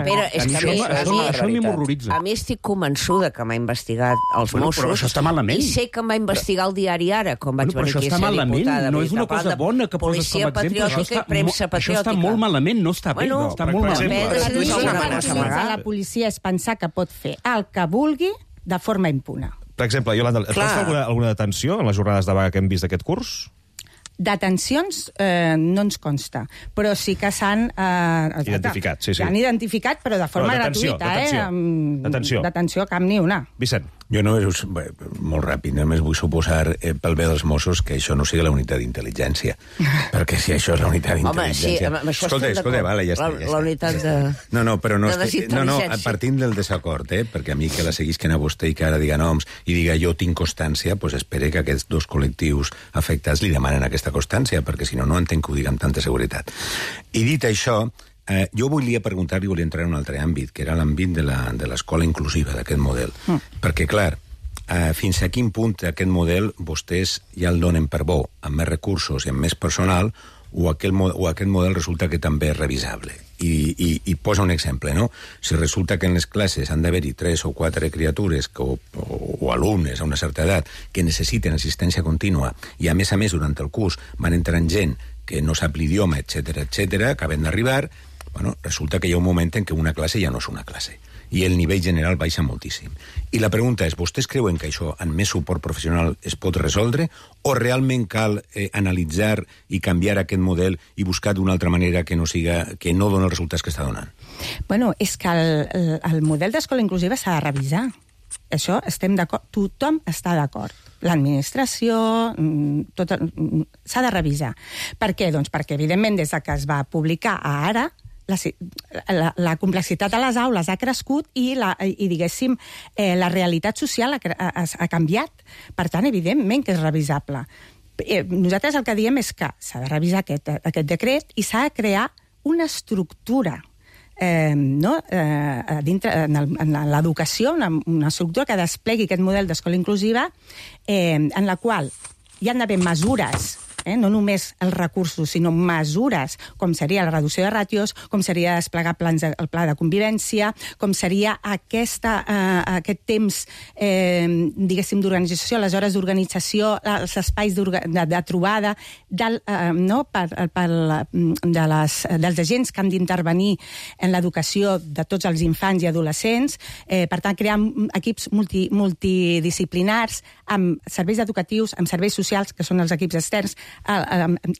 Això m'horroritza. A mi estic convençuda que m'ha investigat els Mossos. Però això està malament. I sé que em va investigar el diari Ara, quan vaig venir aquí a ser diputada. No és una cosa bona que poses com a exemple. Això està molt malament, no està bé. Està molt malament. La policia és pensar que pot fer el que vulgui de forma impune. Per exemple, Iolanda, et consta alguna detenció en les jornades de vaga que hem vist d'aquest curs? Detencions no ens consta, però sí que s'han... identificat, sí. S'han identificat, però de forma gratuïta. Detenció, cap ni una. Vicent. Jo només, molt ràpid, només vull suposar pel bé dels Mossos que això no sigui la unitat d'intel·ligència. Perquè si això és la unitat d'intel·ligència... Home, sí, escolta, vale, ja està. La unitat de... No, partint del desacord, perquè a mi que la seguisquen a vostè i que ara diga noms i diga jo tinc constància, doncs espere que aquests dos col·lectius afectats li demanen aquesta constància, perquè si no, no entenc que ho diga amb tanta seguretat. I dit això, jo volia preguntar-li, volia entrar en un altre àmbit, que era l'àmbit de l'escola inclusiva, d'aquest model. Perquè, clar, fins a quin punt aquest model vostès ja el donen per bo, amb més recursos i amb més personal, o aquest model resulta que també és revisable. I posa un exemple, no? Si resulta que en les classes han d'haver-hi 3 o 4 criatures o alumnes a una certa edat que necessiten assistència contínua i, a més, durant el curs van entrant gent que no sap l'idioma, etc, acaben d'arribar, resulta que hi ha un moment en què una classe ja no és una classe i el nivell general baixa moltíssim. I la pregunta és, vostès creuen que això amb més suport professional es pot resoldre o realment cal analitzar i canviar aquest model i buscar d'una altra manera que no doni els resultats que està donant? Bueno, és que el model d'escola inclusiva s'ha de revisar. Això estem d'acord, tothom està d'acord. L'administració, s'ha de revisar. Per què? Doncs perquè, evidentment, des que es va publicar a Ara, la complexitat a les aules ha crescut i diguéssim, la realitat social ha canviat. Per tant, evidentment que és revisable. Nosaltres el que diem és que s'ha de revisar aquest decret i s'ha de crear una estructura dintre en l'educació, una estructura que desplegui aquest model d'escola inclusiva en la qual hi han d'haver mesures, no només els recursos, sinó mesures, com seria la reducció de ràtios, com seria desplegar el pla de convivència, com seria aquest temps, diguéssim, d'organització, les hores d'organització, els espais de trobada, dels agents que han d'intervenir en l'educació de tots els infants i adolescents, per tant, crear equips multidisciplinars amb serveis educatius, amb serveis socials, que són els equips externs,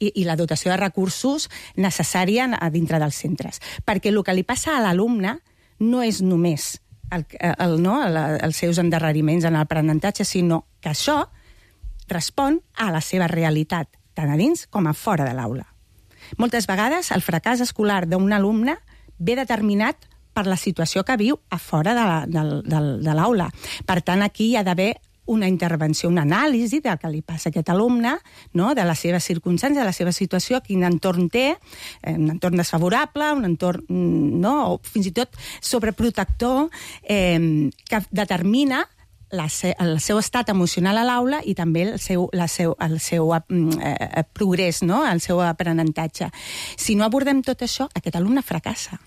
i la dotació de recursos necessària dintre dels centres. Perquè el que li passa a l'alumne no és només els seus endarreriments en l'aprenentatge, sinó que això respon a la seva realitat, tant a dins com a fora de l'aula. Moltes vegades el fracàs escolar d'un alumne ve determinat per la situació que viu a fora de l'aula. Per tant, aquí hi ha d'haver una intervenció, una anàlisi del que li passa a aquest alumne, de les seves circumstàncies, de la seva situació, quin entorn té, un entorn desfavorable, un entorn, o fins i tot sobreprotector, que determina el seu estat emocional a l'aula i també el seu progrés, el seu aprenentatge. Si no abordem tot això, aquest alumne fracassa.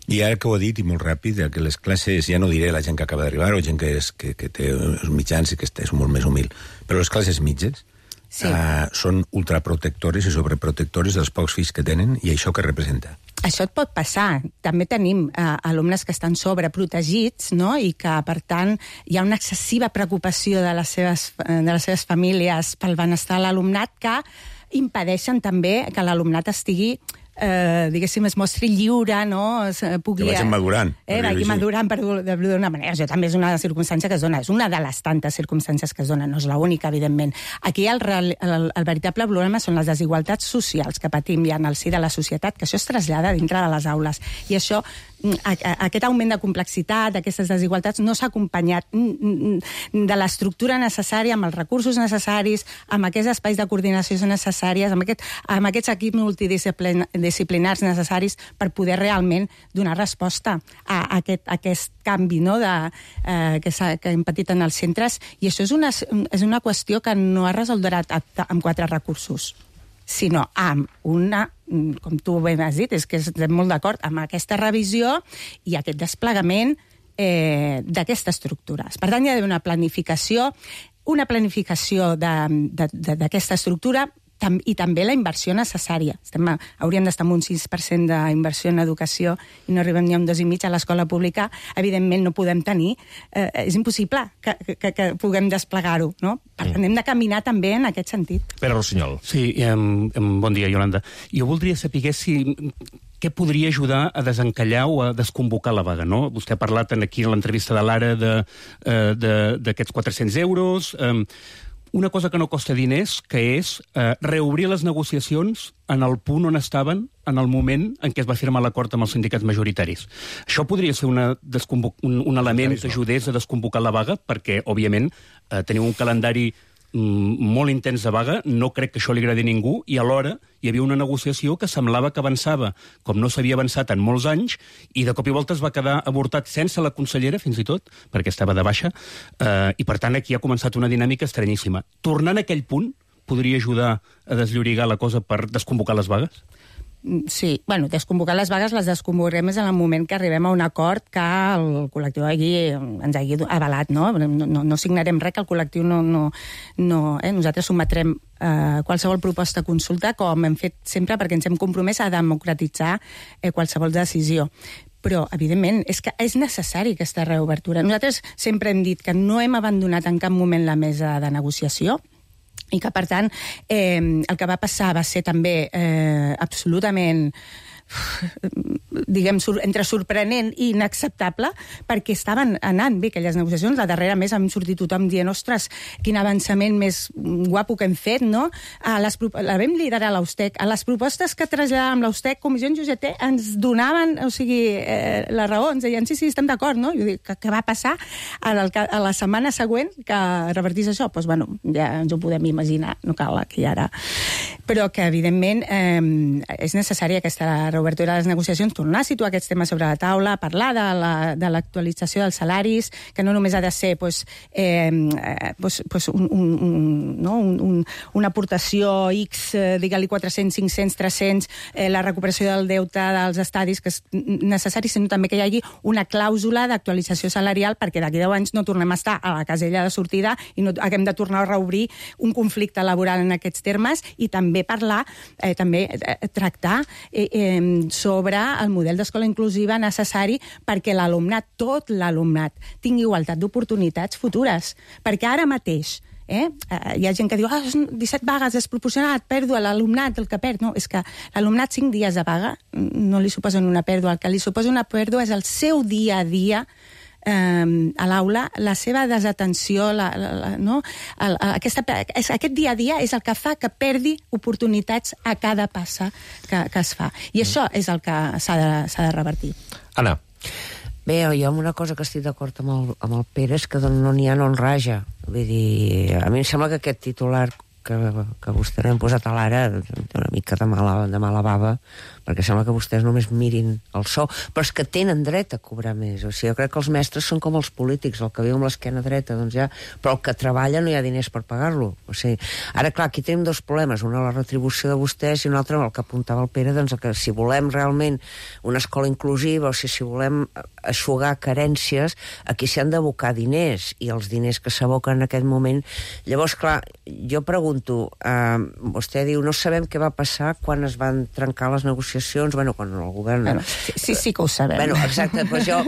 I ara que ho he dit, i molt ràpid, que les classes, ja no diré la gent que acaba d'arribar o gent que té els mitjans i que és molt més humil, però les classes mitges, són ultraprotectores i sobreprotectores dels pocs fills que tenen, i això què representa? Això et pot passar. També tenim alumnes que estan sobreprotegits, no? I que, per tant, hi ha una excessiva preocupació de les seves famílies pel benestar de l'alumnat que impedeixen també que l'alumnat estigui diguéssim, es mostri lliure, no? Que vagin madurant. Vagi madurant, per dir-ho d'una manera. Això també és una circumstància que es dona. És una de les tantes circumstàncies que es donen. No és l'única, evidentment. Aquí el veritable problema són les desigualtats socials que patim ja en el si de la societat, que això es trasllada dintre de les aules. I això, aquest augment de complexitat, aquestes desigualtats, no s'ha acompanyat de l'estructura necessària, amb els recursos necessaris, amb aquests espais de coordinació necessàries, amb aquests equips multidisciplinars necessaris per poder realment donar resposta a aquest canvi, no, que hem patit en els centres. I això és una qüestió que no es resoldrà amb 4 recursos, sinó amb una, com tu bé has dit, és que estem molt d'acord amb aquesta revisió i aquest desplegament d'aquesta estructura. Per tant, hi ha d'haver una planificació d'aquesta estructura i també la inversió necessària. Hauríem d'estar amb un 6% d'inversió en educació i no arribem ni a un 2,5% a l'escola pública. Evidentment no podem tenir, és impossible que puguem desplegar-ho, no? Per tant, hem de caminar també en aquest sentit. Pere Rossinyol. Sí, bon dia, Iolanda. Jo voldria saber què podria ajudar a desencallar o a desconvocar la vaga, no? Vostè ha parlat aquí en l'entrevista de l'Ara d'aquests 400 euros. Una cosa que no costa diners, que és reobrir les negociacions en el punt on estaven en el moment en què es va firmar l'acord amb els sindicats majoritaris. Això podria ser un element que ajudés a desconvocar la vaga, perquè, òbviament, teniu un calendari molt intens de vaga, no crec que això li agradi a ningú, i alhora hi havia una negociació que semblava que avançava com no s'havia avançat en molts anys, i de cop i volta es va quedar avortat sense la consellera, fins i tot, perquè estava de baixa, i per tant aquí ha començat una dinàmica estranyíssima. Tornant a aquell punt, podria ajudar a desllorigar la cosa per desconvocar les vagues? Sí, desconvocar les vagues les desconvocarem en el moment que arribem a un acord que el col·lectiu ens hagi avalat, no? No signarem res que el col·lectiu no... Nosaltres sometrem qualsevol proposta a consulta, com hem fet sempre, perquè ens hem compromès a democratitzar qualsevol decisió. Però, evidentment, és que és necessari aquesta reobertura. Nosaltres sempre hem dit que no hem abandonat en cap moment la mesa de negociació, i que, per tant, el que va passar va ser també absolutament, diguem, entre sorprenent i inacceptable, perquè estaven anant bé aquelles negociacions. La darrera mes hem sortit tothom dient, ostres, quin avançament més guapo que hem fet, no? La vam liderar l'Austec. A les propostes que traslladàvem l'Austec, Comissions i UGT ens donaven, la raó, ens deien, sí, estem d'acord, no? Jo dic, què va passar a la setmana següent que revertís això? Doncs, ja ens ho podem imaginar, no cal aquí ara. Però que, evidentment, és necessària aquesta reobertura de les negociacions, tornar a situar aquests temes sobre la taula, parlar de l'actualització dels salaris, que no només ha de ser una aportació X, digue-li 400, 500, 300, la recuperació del deute dels estadis, que és necessari, sinó també que hi hagi una clàusula d'actualització salarial, perquè d'aquí 10 anys no tornem a estar a la casella de sortida i no haguem de tornar a reobrir un conflicte laboral en aquests termes, i també parlar, tractar sobre el model d'escola inclusiva necessari perquè l'alumnat, tot l'alumnat, tingui igualtat d'oportunitats futures. Perquè ara mateix hi ha gent que diu 17 vagues desproporcionat, pèrdua, l'alumnat, el que perd. No, és que l'alumnat 5 dies de vaga no li suposen una pèrdua. El que li suposa una pèrdua és el seu dia a dia a l'aula, la seva desatenció, aquest dia a dia és el que fa que perdi oportunitats a cada passa que es fa. I això és el que s'ha de revertir. Anna. Bé, jo amb una cosa que estic d'acord amb el Pere és que no n'hi ha no en raja. Vull dir, a mi em sembla que aquest titular que vostè n'ha posat a l'Ara té una mica de mala bava, perquè sembla que vostès només mirin el sou, però és que tenen dret a cobrar més. O sigui, jo crec que els mestres són com els polítics, el que viu amb l'esquena dreta, doncs ja, però el que treballa no hi ha diners per pagar-lo. O sigui, ara, clar, aquí tenim dos problemes, una la retribució de vostès i una altra el que apuntava el Pere, doncs que si volem realment una escola inclusiva, o sigui, si volem eixugar carències, aquí s'hi han d'abocar diners, i els diners que s'aboquen en aquest moment. Llavors, clar, jo pregunto, vostè diu, no sabem què va passar quan es van trencar les negociacions, bueno, quan el govern... Bueno, sí que ho sabem. Bueno, exacte, però jo,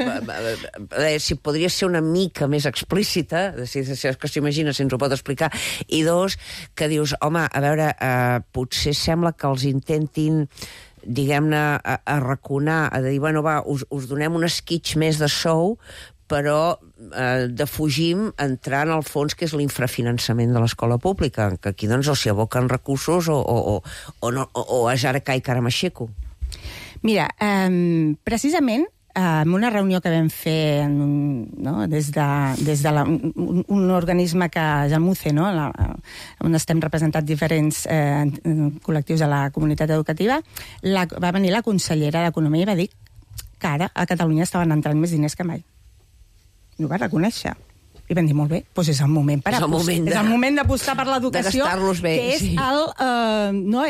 si podria ser una mica més explícita, si és que s'imagina, si ens ho pot explicar, i dos, que dius, home, a veure, potser sembla que els intentin diguem-ne, arraconar, a dir, bueno, va, us donem un esquitx més de sou, però defugim entrar en el fons, que és l'infrafinançament de l'escola pública, que aquí doncs o s'hi aboquen recursos o és ara cai cara m'aixeco. Mira, precisament, en una reunió que vam fer des de un organisme que és el MUCE, on estem representats diferents col·lectius de la comunitat educativa, va venir la consellera d'Economia i va dir que ara a Catalunya estaven entrant més diners que mai. I ho va reconèixer. I vam dir, molt bé, doncs és el moment d'apostar per l'educació, que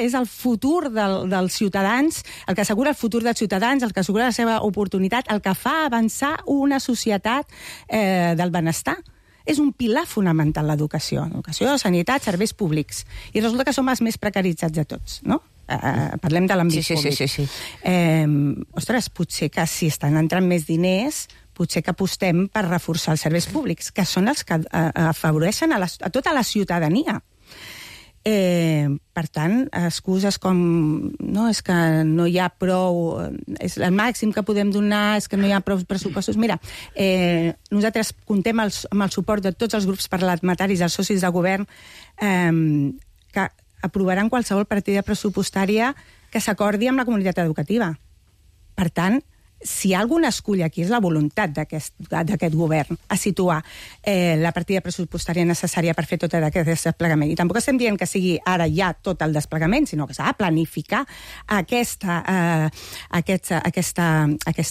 és el futur dels ciutadans, el que assegura el futur dels ciutadans, el que assegura la seva oportunitat, el que fa avançar una societat del benestar. És un pilar fonamental l'educació. Educació, sanitat, serveis públics. I resulta que som els més precaritzats de tots, no? Parlem de l'àmbit públic. Sí. Ostres, potser que si estan entrant més diners, potser que apostem per reforçar els serveis públics, que són els que afavoreixen a tota la ciutadania. Per tant, excuses com és que no hi ha prou, és el màxim que podem donar, és que no hi ha prou pressupostos. Mira, nosaltres comptem amb el suport de tots els grups parlamentaris, dels socis de govern, que aprovaran qualsevol partida pressupostària que s'acordi amb la comunitat educativa. Per tant, si algun escull aquí és la voluntat d'aquest govern a situar la partida pressupostària necessària per fer tot aquest desplegament. I tampoc estem dient que sigui ara ja tot el desplegament, sinó que s'ha de planificar aquesta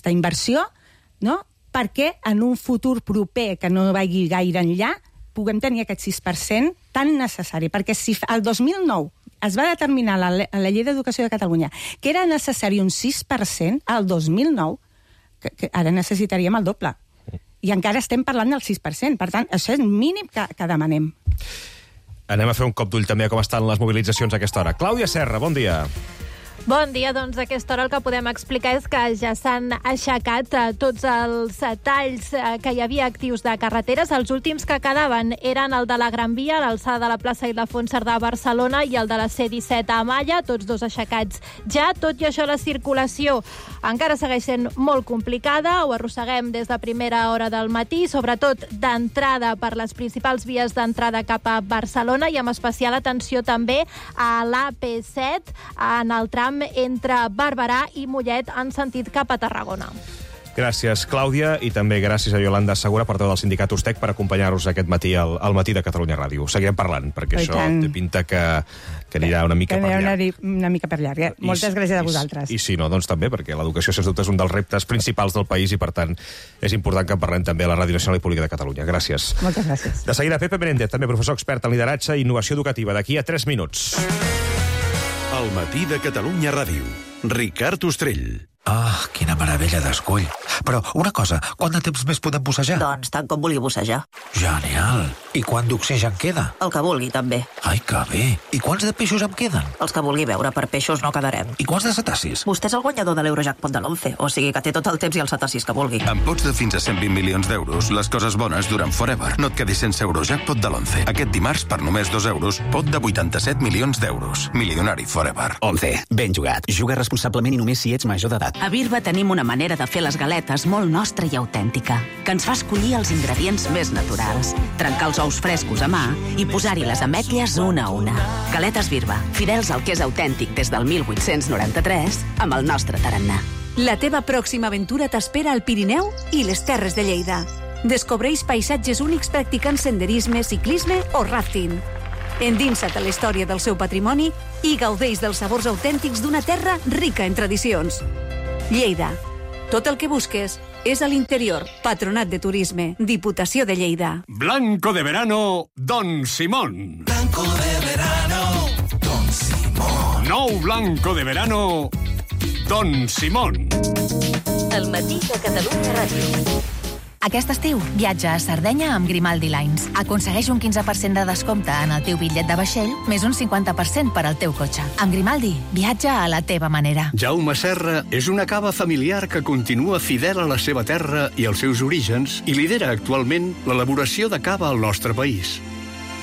inversió, perquè en un futur proper que no vagi gaire enllà puguem tenir aquest 6% tan necessari. Perquè si el 2009 es va determinar a la Llei d'Educació de Catalunya que era necessari un 6% al 2009, que ara necessitaríem el doble. I encara estem parlant del 6%. Per tant, això és el mínim que demanem. Anem a fer un cop d'ull també a com estan les mobilitzacions a aquesta hora. Clàudia Serra, bon dia. Bon dia, doncs a aquesta hora el que podem explicar és que ja s'han aixecat tots els talls que hi havia actius de carreteres. Els últims que quedaven eren el de la Gran Via, a l'alçada de la plaça Ildefons Cerdà a Barcelona, i el de la C-17 a Malla, tots dos aixecats ja. Tot i això, la circulació encara segueix sent molt complicada, ho arrosseguem des de primera hora del matí, sobretot d'entrada per les principals vies d'entrada cap a Barcelona, i amb especial atenció també a l'AP7, en el tram entre Barberà i Mollet en sentit cap a Tarragona. Gràcies, Clàudia, i també gràcies a Iolanda Segura, portaveu del sindicat USTEC, per acompanyar-nos aquest matí al matí de Catalunya Ràdio. Seguirem parlant, perquè això té pinta que anirà una mica per llarg. Una mica per llarg. Moltes gràcies a vosaltres. I si no, doncs també, perquè l'educació, sens dubte, és un dels reptes principals del país i, per tant, és important que en parlem també a la Ràdio Nacional i Pública de Catalunya. Gràcies. Moltes gràcies. De seguida, Pepe Menéndez, també professor expert en lideratge i innovació educativa, d'aquí a 3 minuts. El matí de Catalunya Ràdio. Ricard Ostrell. Ah, quina meravella d'escull. Però una cosa, quant de temps més podem bussejar? Doncs tant com vulgui bussejar. Genial. I quant d'oxigen queda? El que vulgui, també. Ai, que bé. I quants de peixos em queden? Els que vulgui veure, per peixos no quedarem. I quants de cetacis? Vostè és el guanyador de l'Eurojackpot de l'11, o sigui que té tot el temps i els cetacis que vulgui. Amb pots de fins a 120 milions d'euros, les coses bones duren forever. No et quedis sense Eurojackpot de l'11. Aquest dimarts, per només 2 euros, pot de 87 milions d'euros. Milionari forever. 11. Ben jugat. Juga responsablement i només si ets major d'edat. A Birba tenim una manera de fer les galetes molt nostra i autèntica, que ens fa escollir els ingredients més naturals, trencar els ous frescos a mà i posar-hi les ametlles una a una. Galetes Birba, fidels al que és autèntic des del 1893, amb el nostre tarannà. La teva pròxima aventura t'espera al Pirineu i les Terres de Lleida. Descobreix paisatges únics practicant senderisme, ciclisme o rafting. Endinsa't a la història del seu patrimoni i gaudeix dels sabors autèntics d'una terra rica en tradicions. Lleida. Tot el que busques és a l'interior. Patronat de Turisme. Diputació de Lleida. Blanco de verano, Don Simón. Blanco de verano, Don Simón. Nou blanco de verano, Don Simón. El matí de Catalunya Ràdio. Aquest estiu, viatja a Sardenya amb Grimaldi Lines. Aconsegueix un 15% de descompte en el teu bitllet de vaixell, més un 50% per al teu cotxe. Amb Grimaldi, viatja a la teva manera. Jaume Serra és una cava familiar que continua fidel a la seva terra i als seus orígens i lidera actualment l'elaboració de cava al nostre país.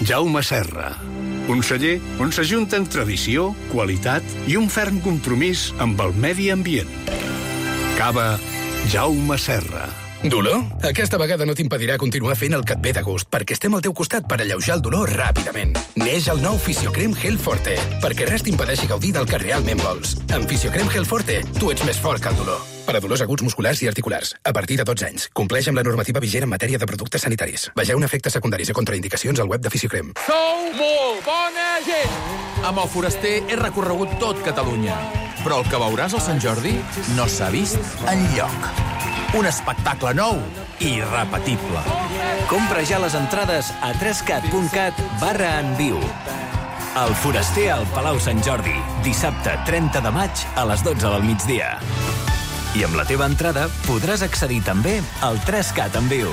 Jaume Serra, un celler on s'ajunten tradició, qualitat i un ferm compromís amb el medi ambient. Cava Jaume Serra. Dolor? Aquesta vegada no t'impedirà continuar fent el que et ve de gust, perquè estem al teu costat per alleujar el dolor ràpidament. Neix el nou Fisiocrem Gel Forte, perquè res t'impedeixi gaudir del que realment vols. Amb Fisiocrem Gel Forte, tu ets més fort que el dolor. Per a dolors aguts musculars i articulars, a partir de 12 anys. Compleix amb la normativa vigent en matèria de productes sanitaris. Vegeu efectes secundaris i contraindicacions al web de Fisiocrem. Sou molt bona gent! Amb el Foraster he recorregut tot Catalunya, però el que veuràs al Sant Jordi no s'ha vist enlloc. Un espectacle nou i irrepetible. Compra ja les entrades a 3cat.cat/enviu. El Foraster al Palau Sant Jordi, dissabte 30 de maig a les 12 del migdia. I amb la teva entrada podràs accedir també al 3Cat en viu.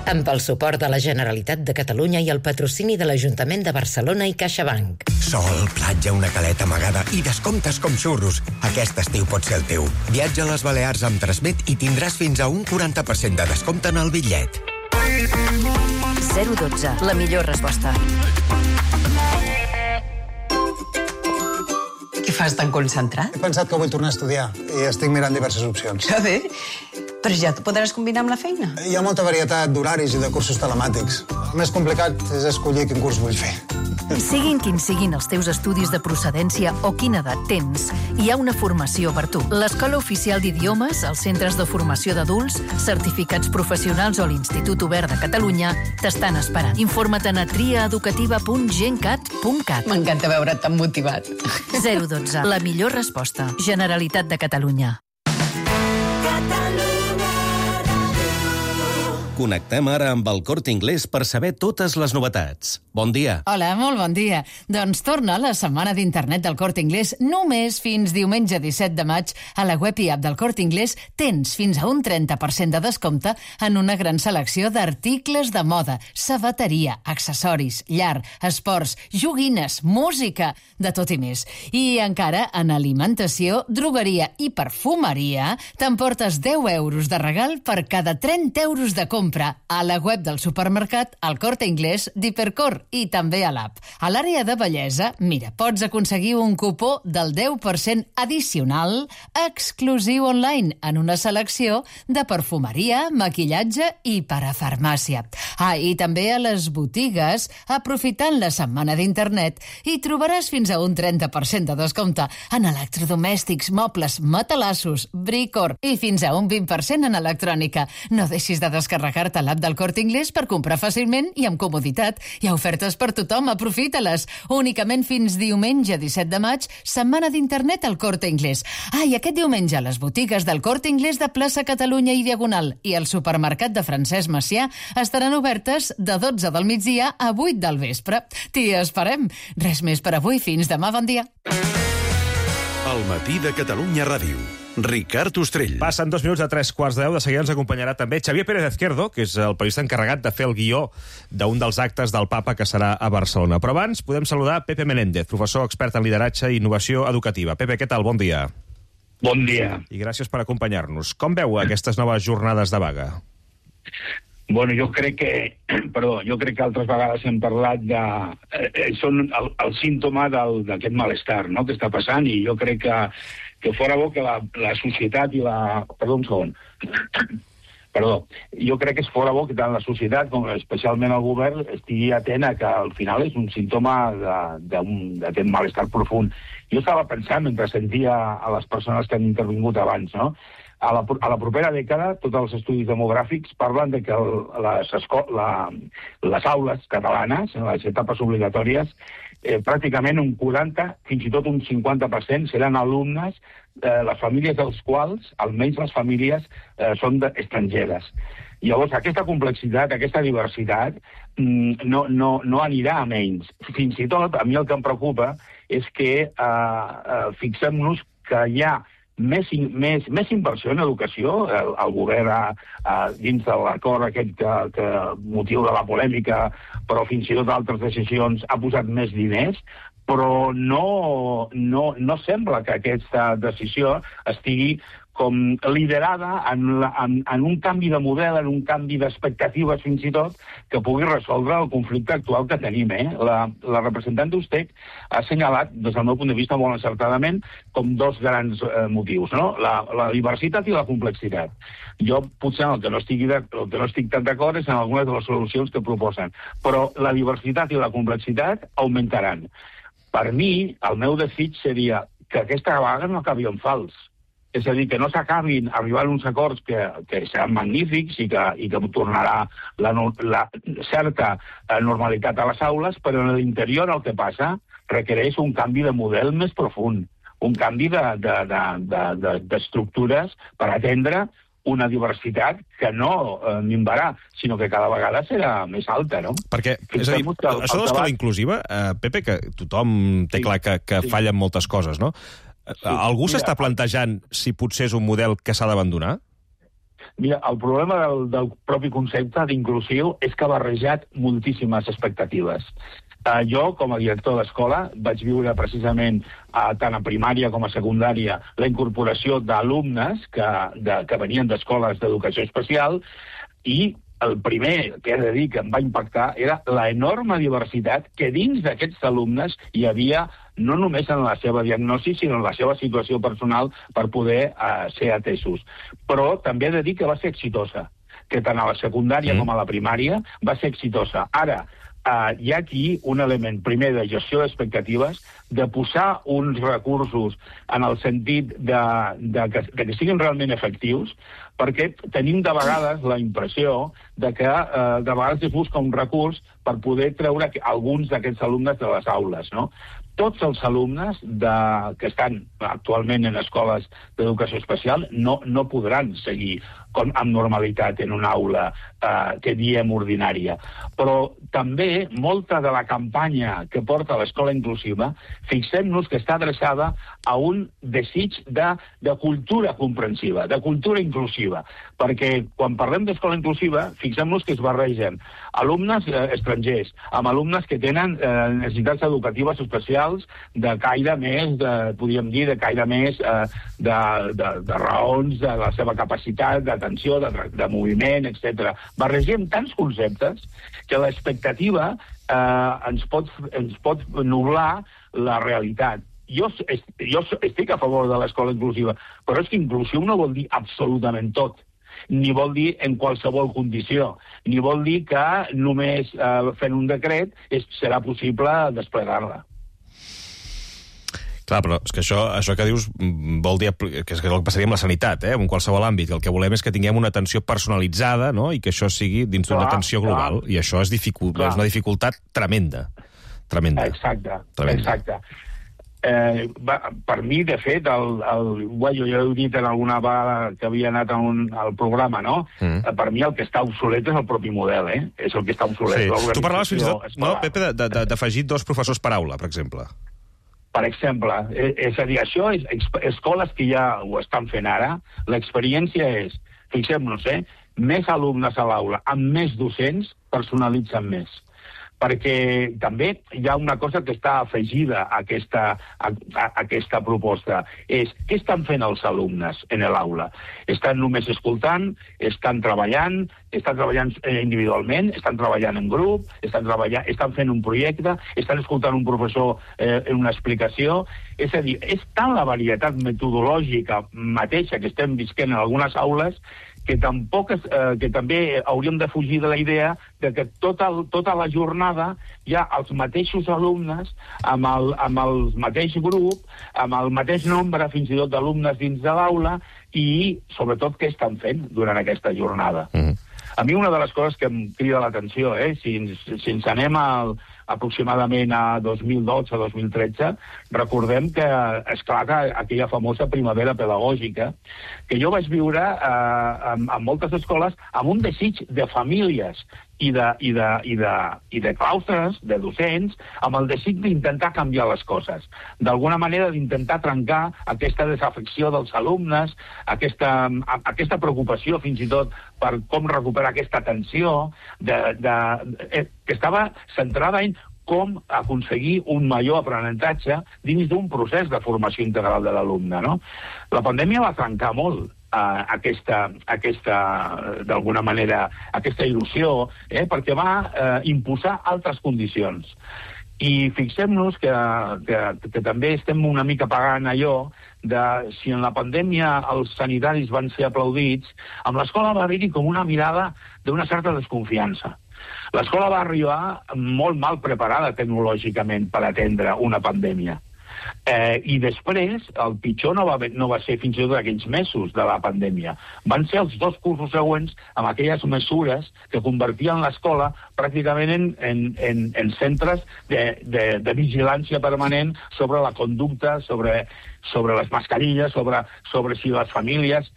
Amb el suport de la Generalitat de Catalunya i el patrocini de l'Ajuntament de Barcelona i CaixaBank. Sol, platja, una caleta amagada i descomptes com xurros. Aquest estiu pot ser el teu. Viatja a les Balears amb Transmet i tindràs fins a un 40% de descompte en el bitllet. 012, la millor resposta. Què fas tan concentrat? He pensat que vull tornar a estudiar i estic mirant diverses opcions. Que bé. Però ja t'ho podràs combinar amb la feina. Hi ha molta varietat d'horaris i de cursos telemàtics. El més complicat és escollir quin curs vull fer. Siguin quins siguin els teus estudis de procedència o quina edat tens, hi ha una formació per tu. L'Escola Oficial d'Idiomes, els centres de formació d'adults, certificats professionals o l'Institut Obert de Catalunya t'estan esperant. Informa't a triaeducativa.gencat.cat. M'encanta veure't tan motivat. 012, la millor resposta. Generalitat de Catalunya. Connectem ara amb el Corte Inglés per saber totes les novetats. Bon dia. Hola, molt bon dia. Doncs torna la setmana d'internet del Corte Inglés només fins diumenge 17 de maig. A la web i app del Corte Inglés tens fins a un 30% de descompte en una gran selecció d'articles de moda, sabateria, accessoris, llar, esports, joguines, música, de tot i més. I encara en alimentació, drogueria i perfumeria t'emportes 10 euros de regal per cada 30 euros de compra a la web del supermercat, al Corte Inglés d'Hipercor i també a l'app. A l'àrea de bellesa, mira, pots aconseguir un cupó del 10% addicional exclusiu online en una selecció de perfumeria, maquillatge i parafarmàcia. I també a les botigues, aprofitant la setmana d'internet, hi trobaràs fins a un 30% de descompte en electrodomèstics, mobles, matalassos, Bricor i fins a un 20% en electrònica. No deixis de descarregar-te l'app del Corte Inglés per comprar fàcilment i amb comoditat. Hi ha ofertes per tothom, aprofita-les. Únicament fins diumenge 17 de maig, setmana d'internet al Corte Inglés. I aquest diumenge les botigues del Corte Inglés de plaça Catalunya i Diagonal i el supermercat de Francesc Macià estaran obertes de 12 del migdia a 8 del vespre. T'hi esperem. Res més per avui. Fins demà. Bon dia. El matí de Catalunya Ràdio. Ricard Ostrell. Passen 2 minuts a 3:15. De seguida ens acompanyarà també Xavier Pérez Izquierdo, que és el periodista encarregat de fer el guió d'un dels actes del Papa que serà a Barcelona. Però abans podem saludar Pepe Menéndez, professor expert en lideratge i innovació educativa. Pepe, què tal? Bon dia. Bon dia. I gràcies per acompanyar-nos. Com veu aquestes noves jornades de vaga? Bueno, jo crec que altres vegades hem parlat de... són el símptoma d'aquest malestar, no?, que està passant, i jo crec que fora bo que la societat i la... Perdó, un segon. Perdó. Jo crec que és fora bo que tant la societat com especialment el govern estigui atent a que al final és un símptoma d'aquest malestar profund. Jo estava pensant, mentre sentia a les persones que han intervingut abans, no?, A la propera dècada, tots els estudis demogràfics parlen de que les aules catalanes, en les etapes obligatòries, pràcticament un 40, fins i tot un 50% seran alumnes, les famílies dels quals, almenys les famílies, són estrangeres. Llavors, aquesta complexitat, aquesta diversitat, no anirà a menys. Fins i tot, a mi el que em preocupa és que fixem-nos que hi ha més inversió en educació. El govern, dins de l'acord aquest que motiu de la polèmica, però fins i tot altres decisions, ha posat més diners, però no sembla que aquesta decisió estigui com liderada en un canvi de model, en un canvi d'expectatives fins i tot, que pugui resoldre el conflicte actual que tenim. La representant d'Ustec ha assenyalat, des del meu punt de vista molt encertadament, com dos grans motius, no? La diversitat i la complexitat. Jo potser el que no estic tan d'acord és en algunes de les solucions que proposen, però la diversitat i la complexitat augmentaran. Per mi, el meu desig seria que aquesta vaga no acabi en fals. És a dir, que no s'acabin arribant uns acords que seran magnífics i que tornarà la certa normalitat a les aules, però en l'interior el que passa requereix un canvi de model més profund, un canvi d'estructures per atendre una diversitat que no minvarà, sinó que cada vegada serà més alta, no? Perquè, és a dir, això de l'escola inclusiva, Pepe, que tothom té clar que fallen moltes coses, no? Algú s'està plantejant si potser és un model que s'ha d'abandonar? Mira, el problema del propi concepte d'inclusiu és que ha barrejat moltíssimes expectatives. Jo, com a director d'escola, vaig viure precisament tant a primària com a secundària la incorporació d'alumnes que venien d'escoles d'educació especial, i el primer que he de dir que em va impactar era l'enorme diversitat que dins d'aquests alumnes hi havia, no només en la seva diagnosi, sinó en la seva situació personal per poder ser atesos. Però també he de dir que va ser exitosa, que tant a la secundària com a la primària va ser exitosa. Ara, hi ha aquí un element, primer, de gestió d'expectatives, de posar uns recursos en el sentit de que siguin realment efectius, perquè tenim de vegades la impressió de que de vegades es busca un recurs per poder treure alguns d'aquests alumnes de les aules, no? Tots els alumnes que estan actualment en escoles d'educació especial no podran seguir amb normalitat en una aula que diem ordinària. Però també molta de la campanya que porta l'escola inclusiva, fixem-nos que està adreçada a un desig de cultura comprensiva, de cultura inclusiva, perquè quan parlem d'escola inclusiva, fixem-nos que es barregen alumnes estrangers amb alumnes que tenen necessitats educatives especials de caire més, podríem dir, de caire més de raons de la seva capacitat, d'atenció, de moviment, etc. Barregem tants conceptes que l'expectativa ens pot nublar la realitat. Jo estic a favor de l'escola inclusiva, però és que inclusiu no vol dir absolutament tot, ni vol dir en qualsevol condició, ni vol dir que només fent un decret serà possible desplegar-la. Clar, però és que això que dius vol dir que és el que passaria amb la sanitat, en qualsevol àmbit. El que volem és que tinguem una atenció personalitzada, no?, i que això sigui dins d'una atenció global. I això és una dificultat tremenda. Exacte. Per mi, de fet, jo he dit en alguna vegada que havia anat al programa, no? Per mi el que està obsolet és el propi model, és el que està obsolet. Tu parlaves fins i tot, no, Pepe, d'afegir 2 professors per aula, per exemple. Per exemple, és a dir, això és escoles que ja ho estan fent ara. L'experiència és, fixem-nos, més alumnes a l'aula amb més docents personalitzen més. Perquè també hi ha una cosa que està afegida a aquesta proposta. És què estan fent els alumnes en l'aula? Estan només escoltant, estan treballant individualment, estan treballant en grup, estan fent un projecte, estan escoltant un professor en una explicació. És a dir, és tant la varietat metodològica mateixa que estem visquent en algunes aules que també hauríem de fugir de la idea de que tota la jornada hi ha els mateixos alumnes, amb el mateix grup, amb el mateix nombre, fins i tot, d'alumnes dins de l'aula, i, sobretot, què estan fent durant aquesta jornada. A mi una de les coses que em crida l'atenció, si ens anem aproximadament a 2012-2013, recordem que esclata aquella famosa primavera pedagògica, que jo vaig viure en moltes escoles amb un desig de famílies i de claustres, de docents, amb el desig d'intentar canviar les coses. D'alguna manera, d'intentar trencar aquesta desafecció dels alumnes, aquesta preocupació, fins i tot, per com recuperar aquesta atenció, que estava centrada en com aconseguir un major aprenentatge dins d'un procés de formació integral de l'alumne, no? La pandèmia va trencar molt d'alguna manera, aquesta il·lusió, perquè va imposar altres condicions. I fixem-nos que també estem una mica pagant allò de si en la pandèmia els sanitaris van ser aplaudits, amb l'escola va haver-hi com una mirada d'una certa desconfiança. L'escola va arribar molt mal preparada tecnològicament per atendre una pandèmia. I després, el pitjor no va ser fins i tot aquells mesos de la pandèmia. Van ser els 2 cursos següents amb aquelles mesures que convertien l'escola pràcticament en centres de vigilància permanent sobre la conducta, sobre les mascarilles, sobre si les famílies...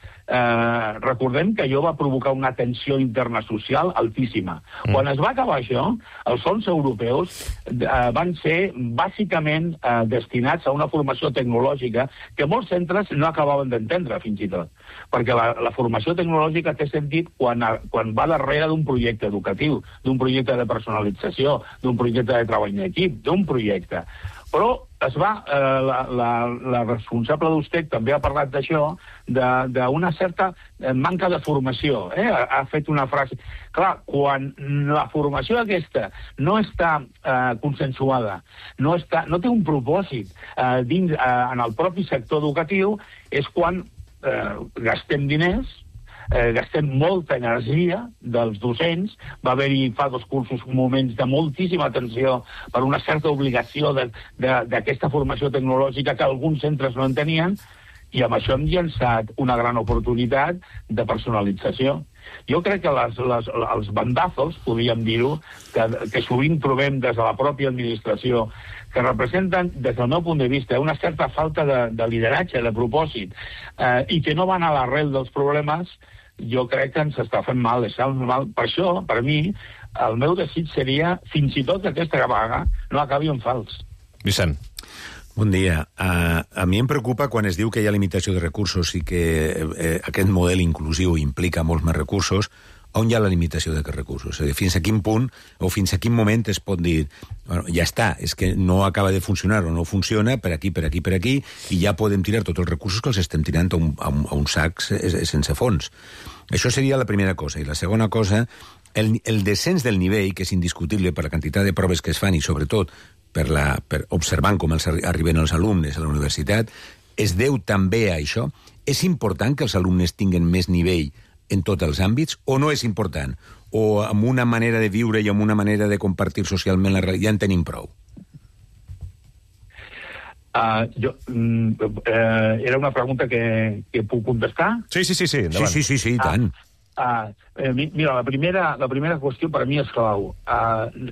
Recordem que allò va provocar una tensió interna social altíssima. Quan es va acabar això, els fons europeus van ser bàsicament destinats a una formació tecnològica que molts centres no acabaven d'entendre, fins i tot. Perquè la formació tecnològica té sentit quan va darrere d'un projecte educatiu, d'un projecte de personalització, d'un projecte de treball en equip, d'un projecte. Però la responsable d'USTEC també ha parlat d'això, d'una certa manca de formació. Ha fet una frase... Clar, quan la formació aquesta no està consensuada, no té un propòsit en el propi sector educatiu, és quan gastem diners, gastem molta energia dels docents. Va haver-hi fa 2 cursos moments de moltíssima atenció per una certa obligació d'aquesta formació tecnològica que alguns centres no en tenien, i amb això hem llançat una gran oportunitat de personalització. Jo crec que els bandazos, podríem dir-ho, que sovint trobem des de la pròpia administració, que representen, des del meu punt de vista, una certa falta de lideratge, de propòsit, i que no van a l'arrel dels problemes, jo crec que ens està fent mal, Per això, per mi, el meu desig seria, fins i tot que aquesta vaga no acabi en fals. Vicent. Bon dia. A mi em preocupa quan es diu que hi ha limitació de recursos i que aquest model inclusiu implica molts més recursos. On hi ha la limitació d'aquests recursos? És a dir, fins a quin punt o fins a quin moment es pot dir bueno, ja està, és que no acaba de funcionar o no funciona per aquí, i ja podem tirar tots els recursos que els estem tirant a un sac sense fons. Això seria la primera cosa. I la segona cosa, el descens del nivell, que és indiscutible per la quantitat de proves que es fan i sobretot per observant com arriben els alumnes a la universitat, es deu també a això. És important que els alumnes tinguen més nivell en tots els àmbits, o no és important? O amb una manera de viure i amb una manera de compartir socialment la realitat ja en tenim prou? Era una pregunta que puc contestar? Sí, endavant. Sí, i tant. Mira, la primera qüestió per a mi és clau.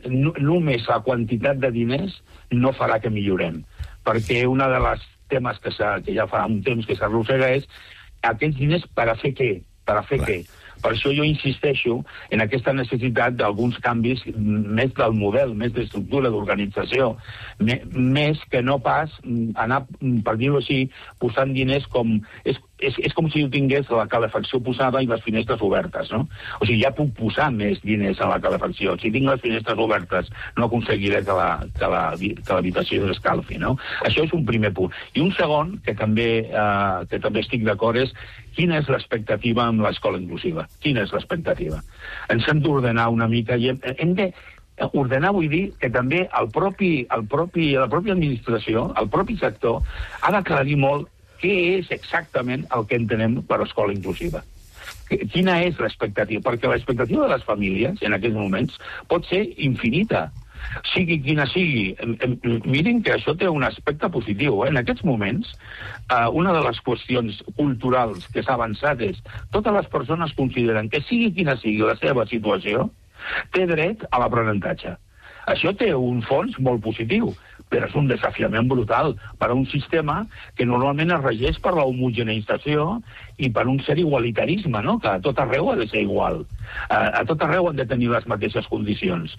Només la quantitat de diners no farà que millorem, perquè una de les temes que ja fa un temps que s'arrossega és aquests diners per a fer què? Per això jo insisteixo en aquesta necessitat d'alguns canvis més del model, més d'estructura, d'organització, més que no pas anar, per dir-ho així, posant diners com... És com si jo tingués la calefacció posada i les finestres obertes, no? O sigui, ja puc posar més diners a la calefacció. Si tinc les finestres obertes, no aconseguiré que l'habitació s'escalfi, no? Això és un primer punt. I un segon, que també estic d'acord, és quina és l'expectativa amb l'escola inclusiva? Quina és l'expectativa? Ens hem d'ordenar una mica i hem de... Ordenar vull dir que també la pròpia administració, el propi sector, ha d'aclarir molt què és exactament el que entenem per escola inclusiva. Quina és l'expectativa? Perquè l'expectativa de les famílies, en aquests moments, pot ser infinita. Sigui quina sigui. Mirin que això té un aspecte positiu. En aquests moments, una de les qüestions culturals que s'ha avançat és totes les persones consideren que sigui quina sigui la seva situació, té dret a l'aprenentatge. Això té un fons molt positiu, però és un desafiament brutal per a un sistema que normalment es regeix per la homogeneïtzació i per un cert igualitarisme, no? Que a tot arreu ha de ser igual. A tot arreu han de tenir les mateixes condicions.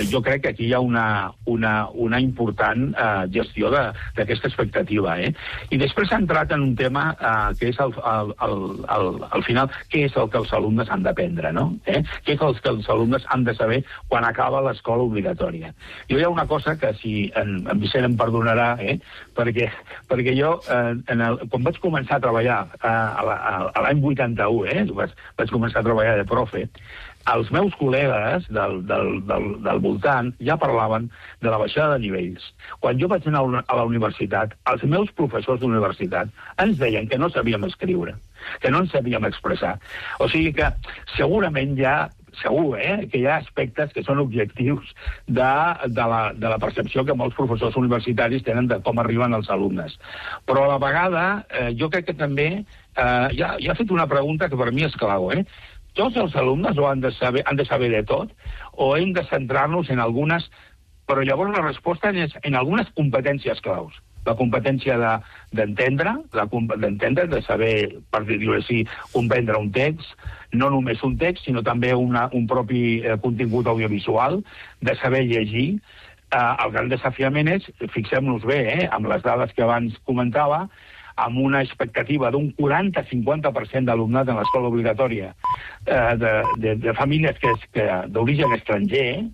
Jo crec que aquí hi ha una important gestió d'aquesta expectativa. I després s'ha entrat en un tema que és, al final, què és el que els alumnes han d'aprendre, no? Què és el que els alumnes han de saber quan acaba l'escola obligatòria. Jo hi ha una cosa que, si en Vicent em perdonarà, perquè jo, quan vaig començar a treballar a l'any 81, vaig començar a treballar de profe, els meus col·legues del voltant ja parlaven de la baixada de nivells. Quan jo vaig anar a la universitat, els meus professors d'universitat ens deien que no sabíem escriure, que no ens sabíem expressar. O sigui que segurament segur que hi ha aspectes que són objectius de la percepció que molts professors universitaris tenen de com arriben els alumnes. Però a la vegada, jo crec que també ja ha fet una pregunta que per mi és clau. Tots els alumnes han de saber de tot, o hem de centrar-nos en algunes, però llavors la resposta és en algunes competències claus. La competència d'entendre, de saber, per dir-ho així, comprendre un text, no només un text, sinó també un propi contingut audiovisual, de saber llegir. El gran desafiament és, fixem-nos bé, amb les dades que abans comentava, amb una expectativa d'un 40-50% d'alumnat en l'escola obligatòria de famílies d'origen estranger,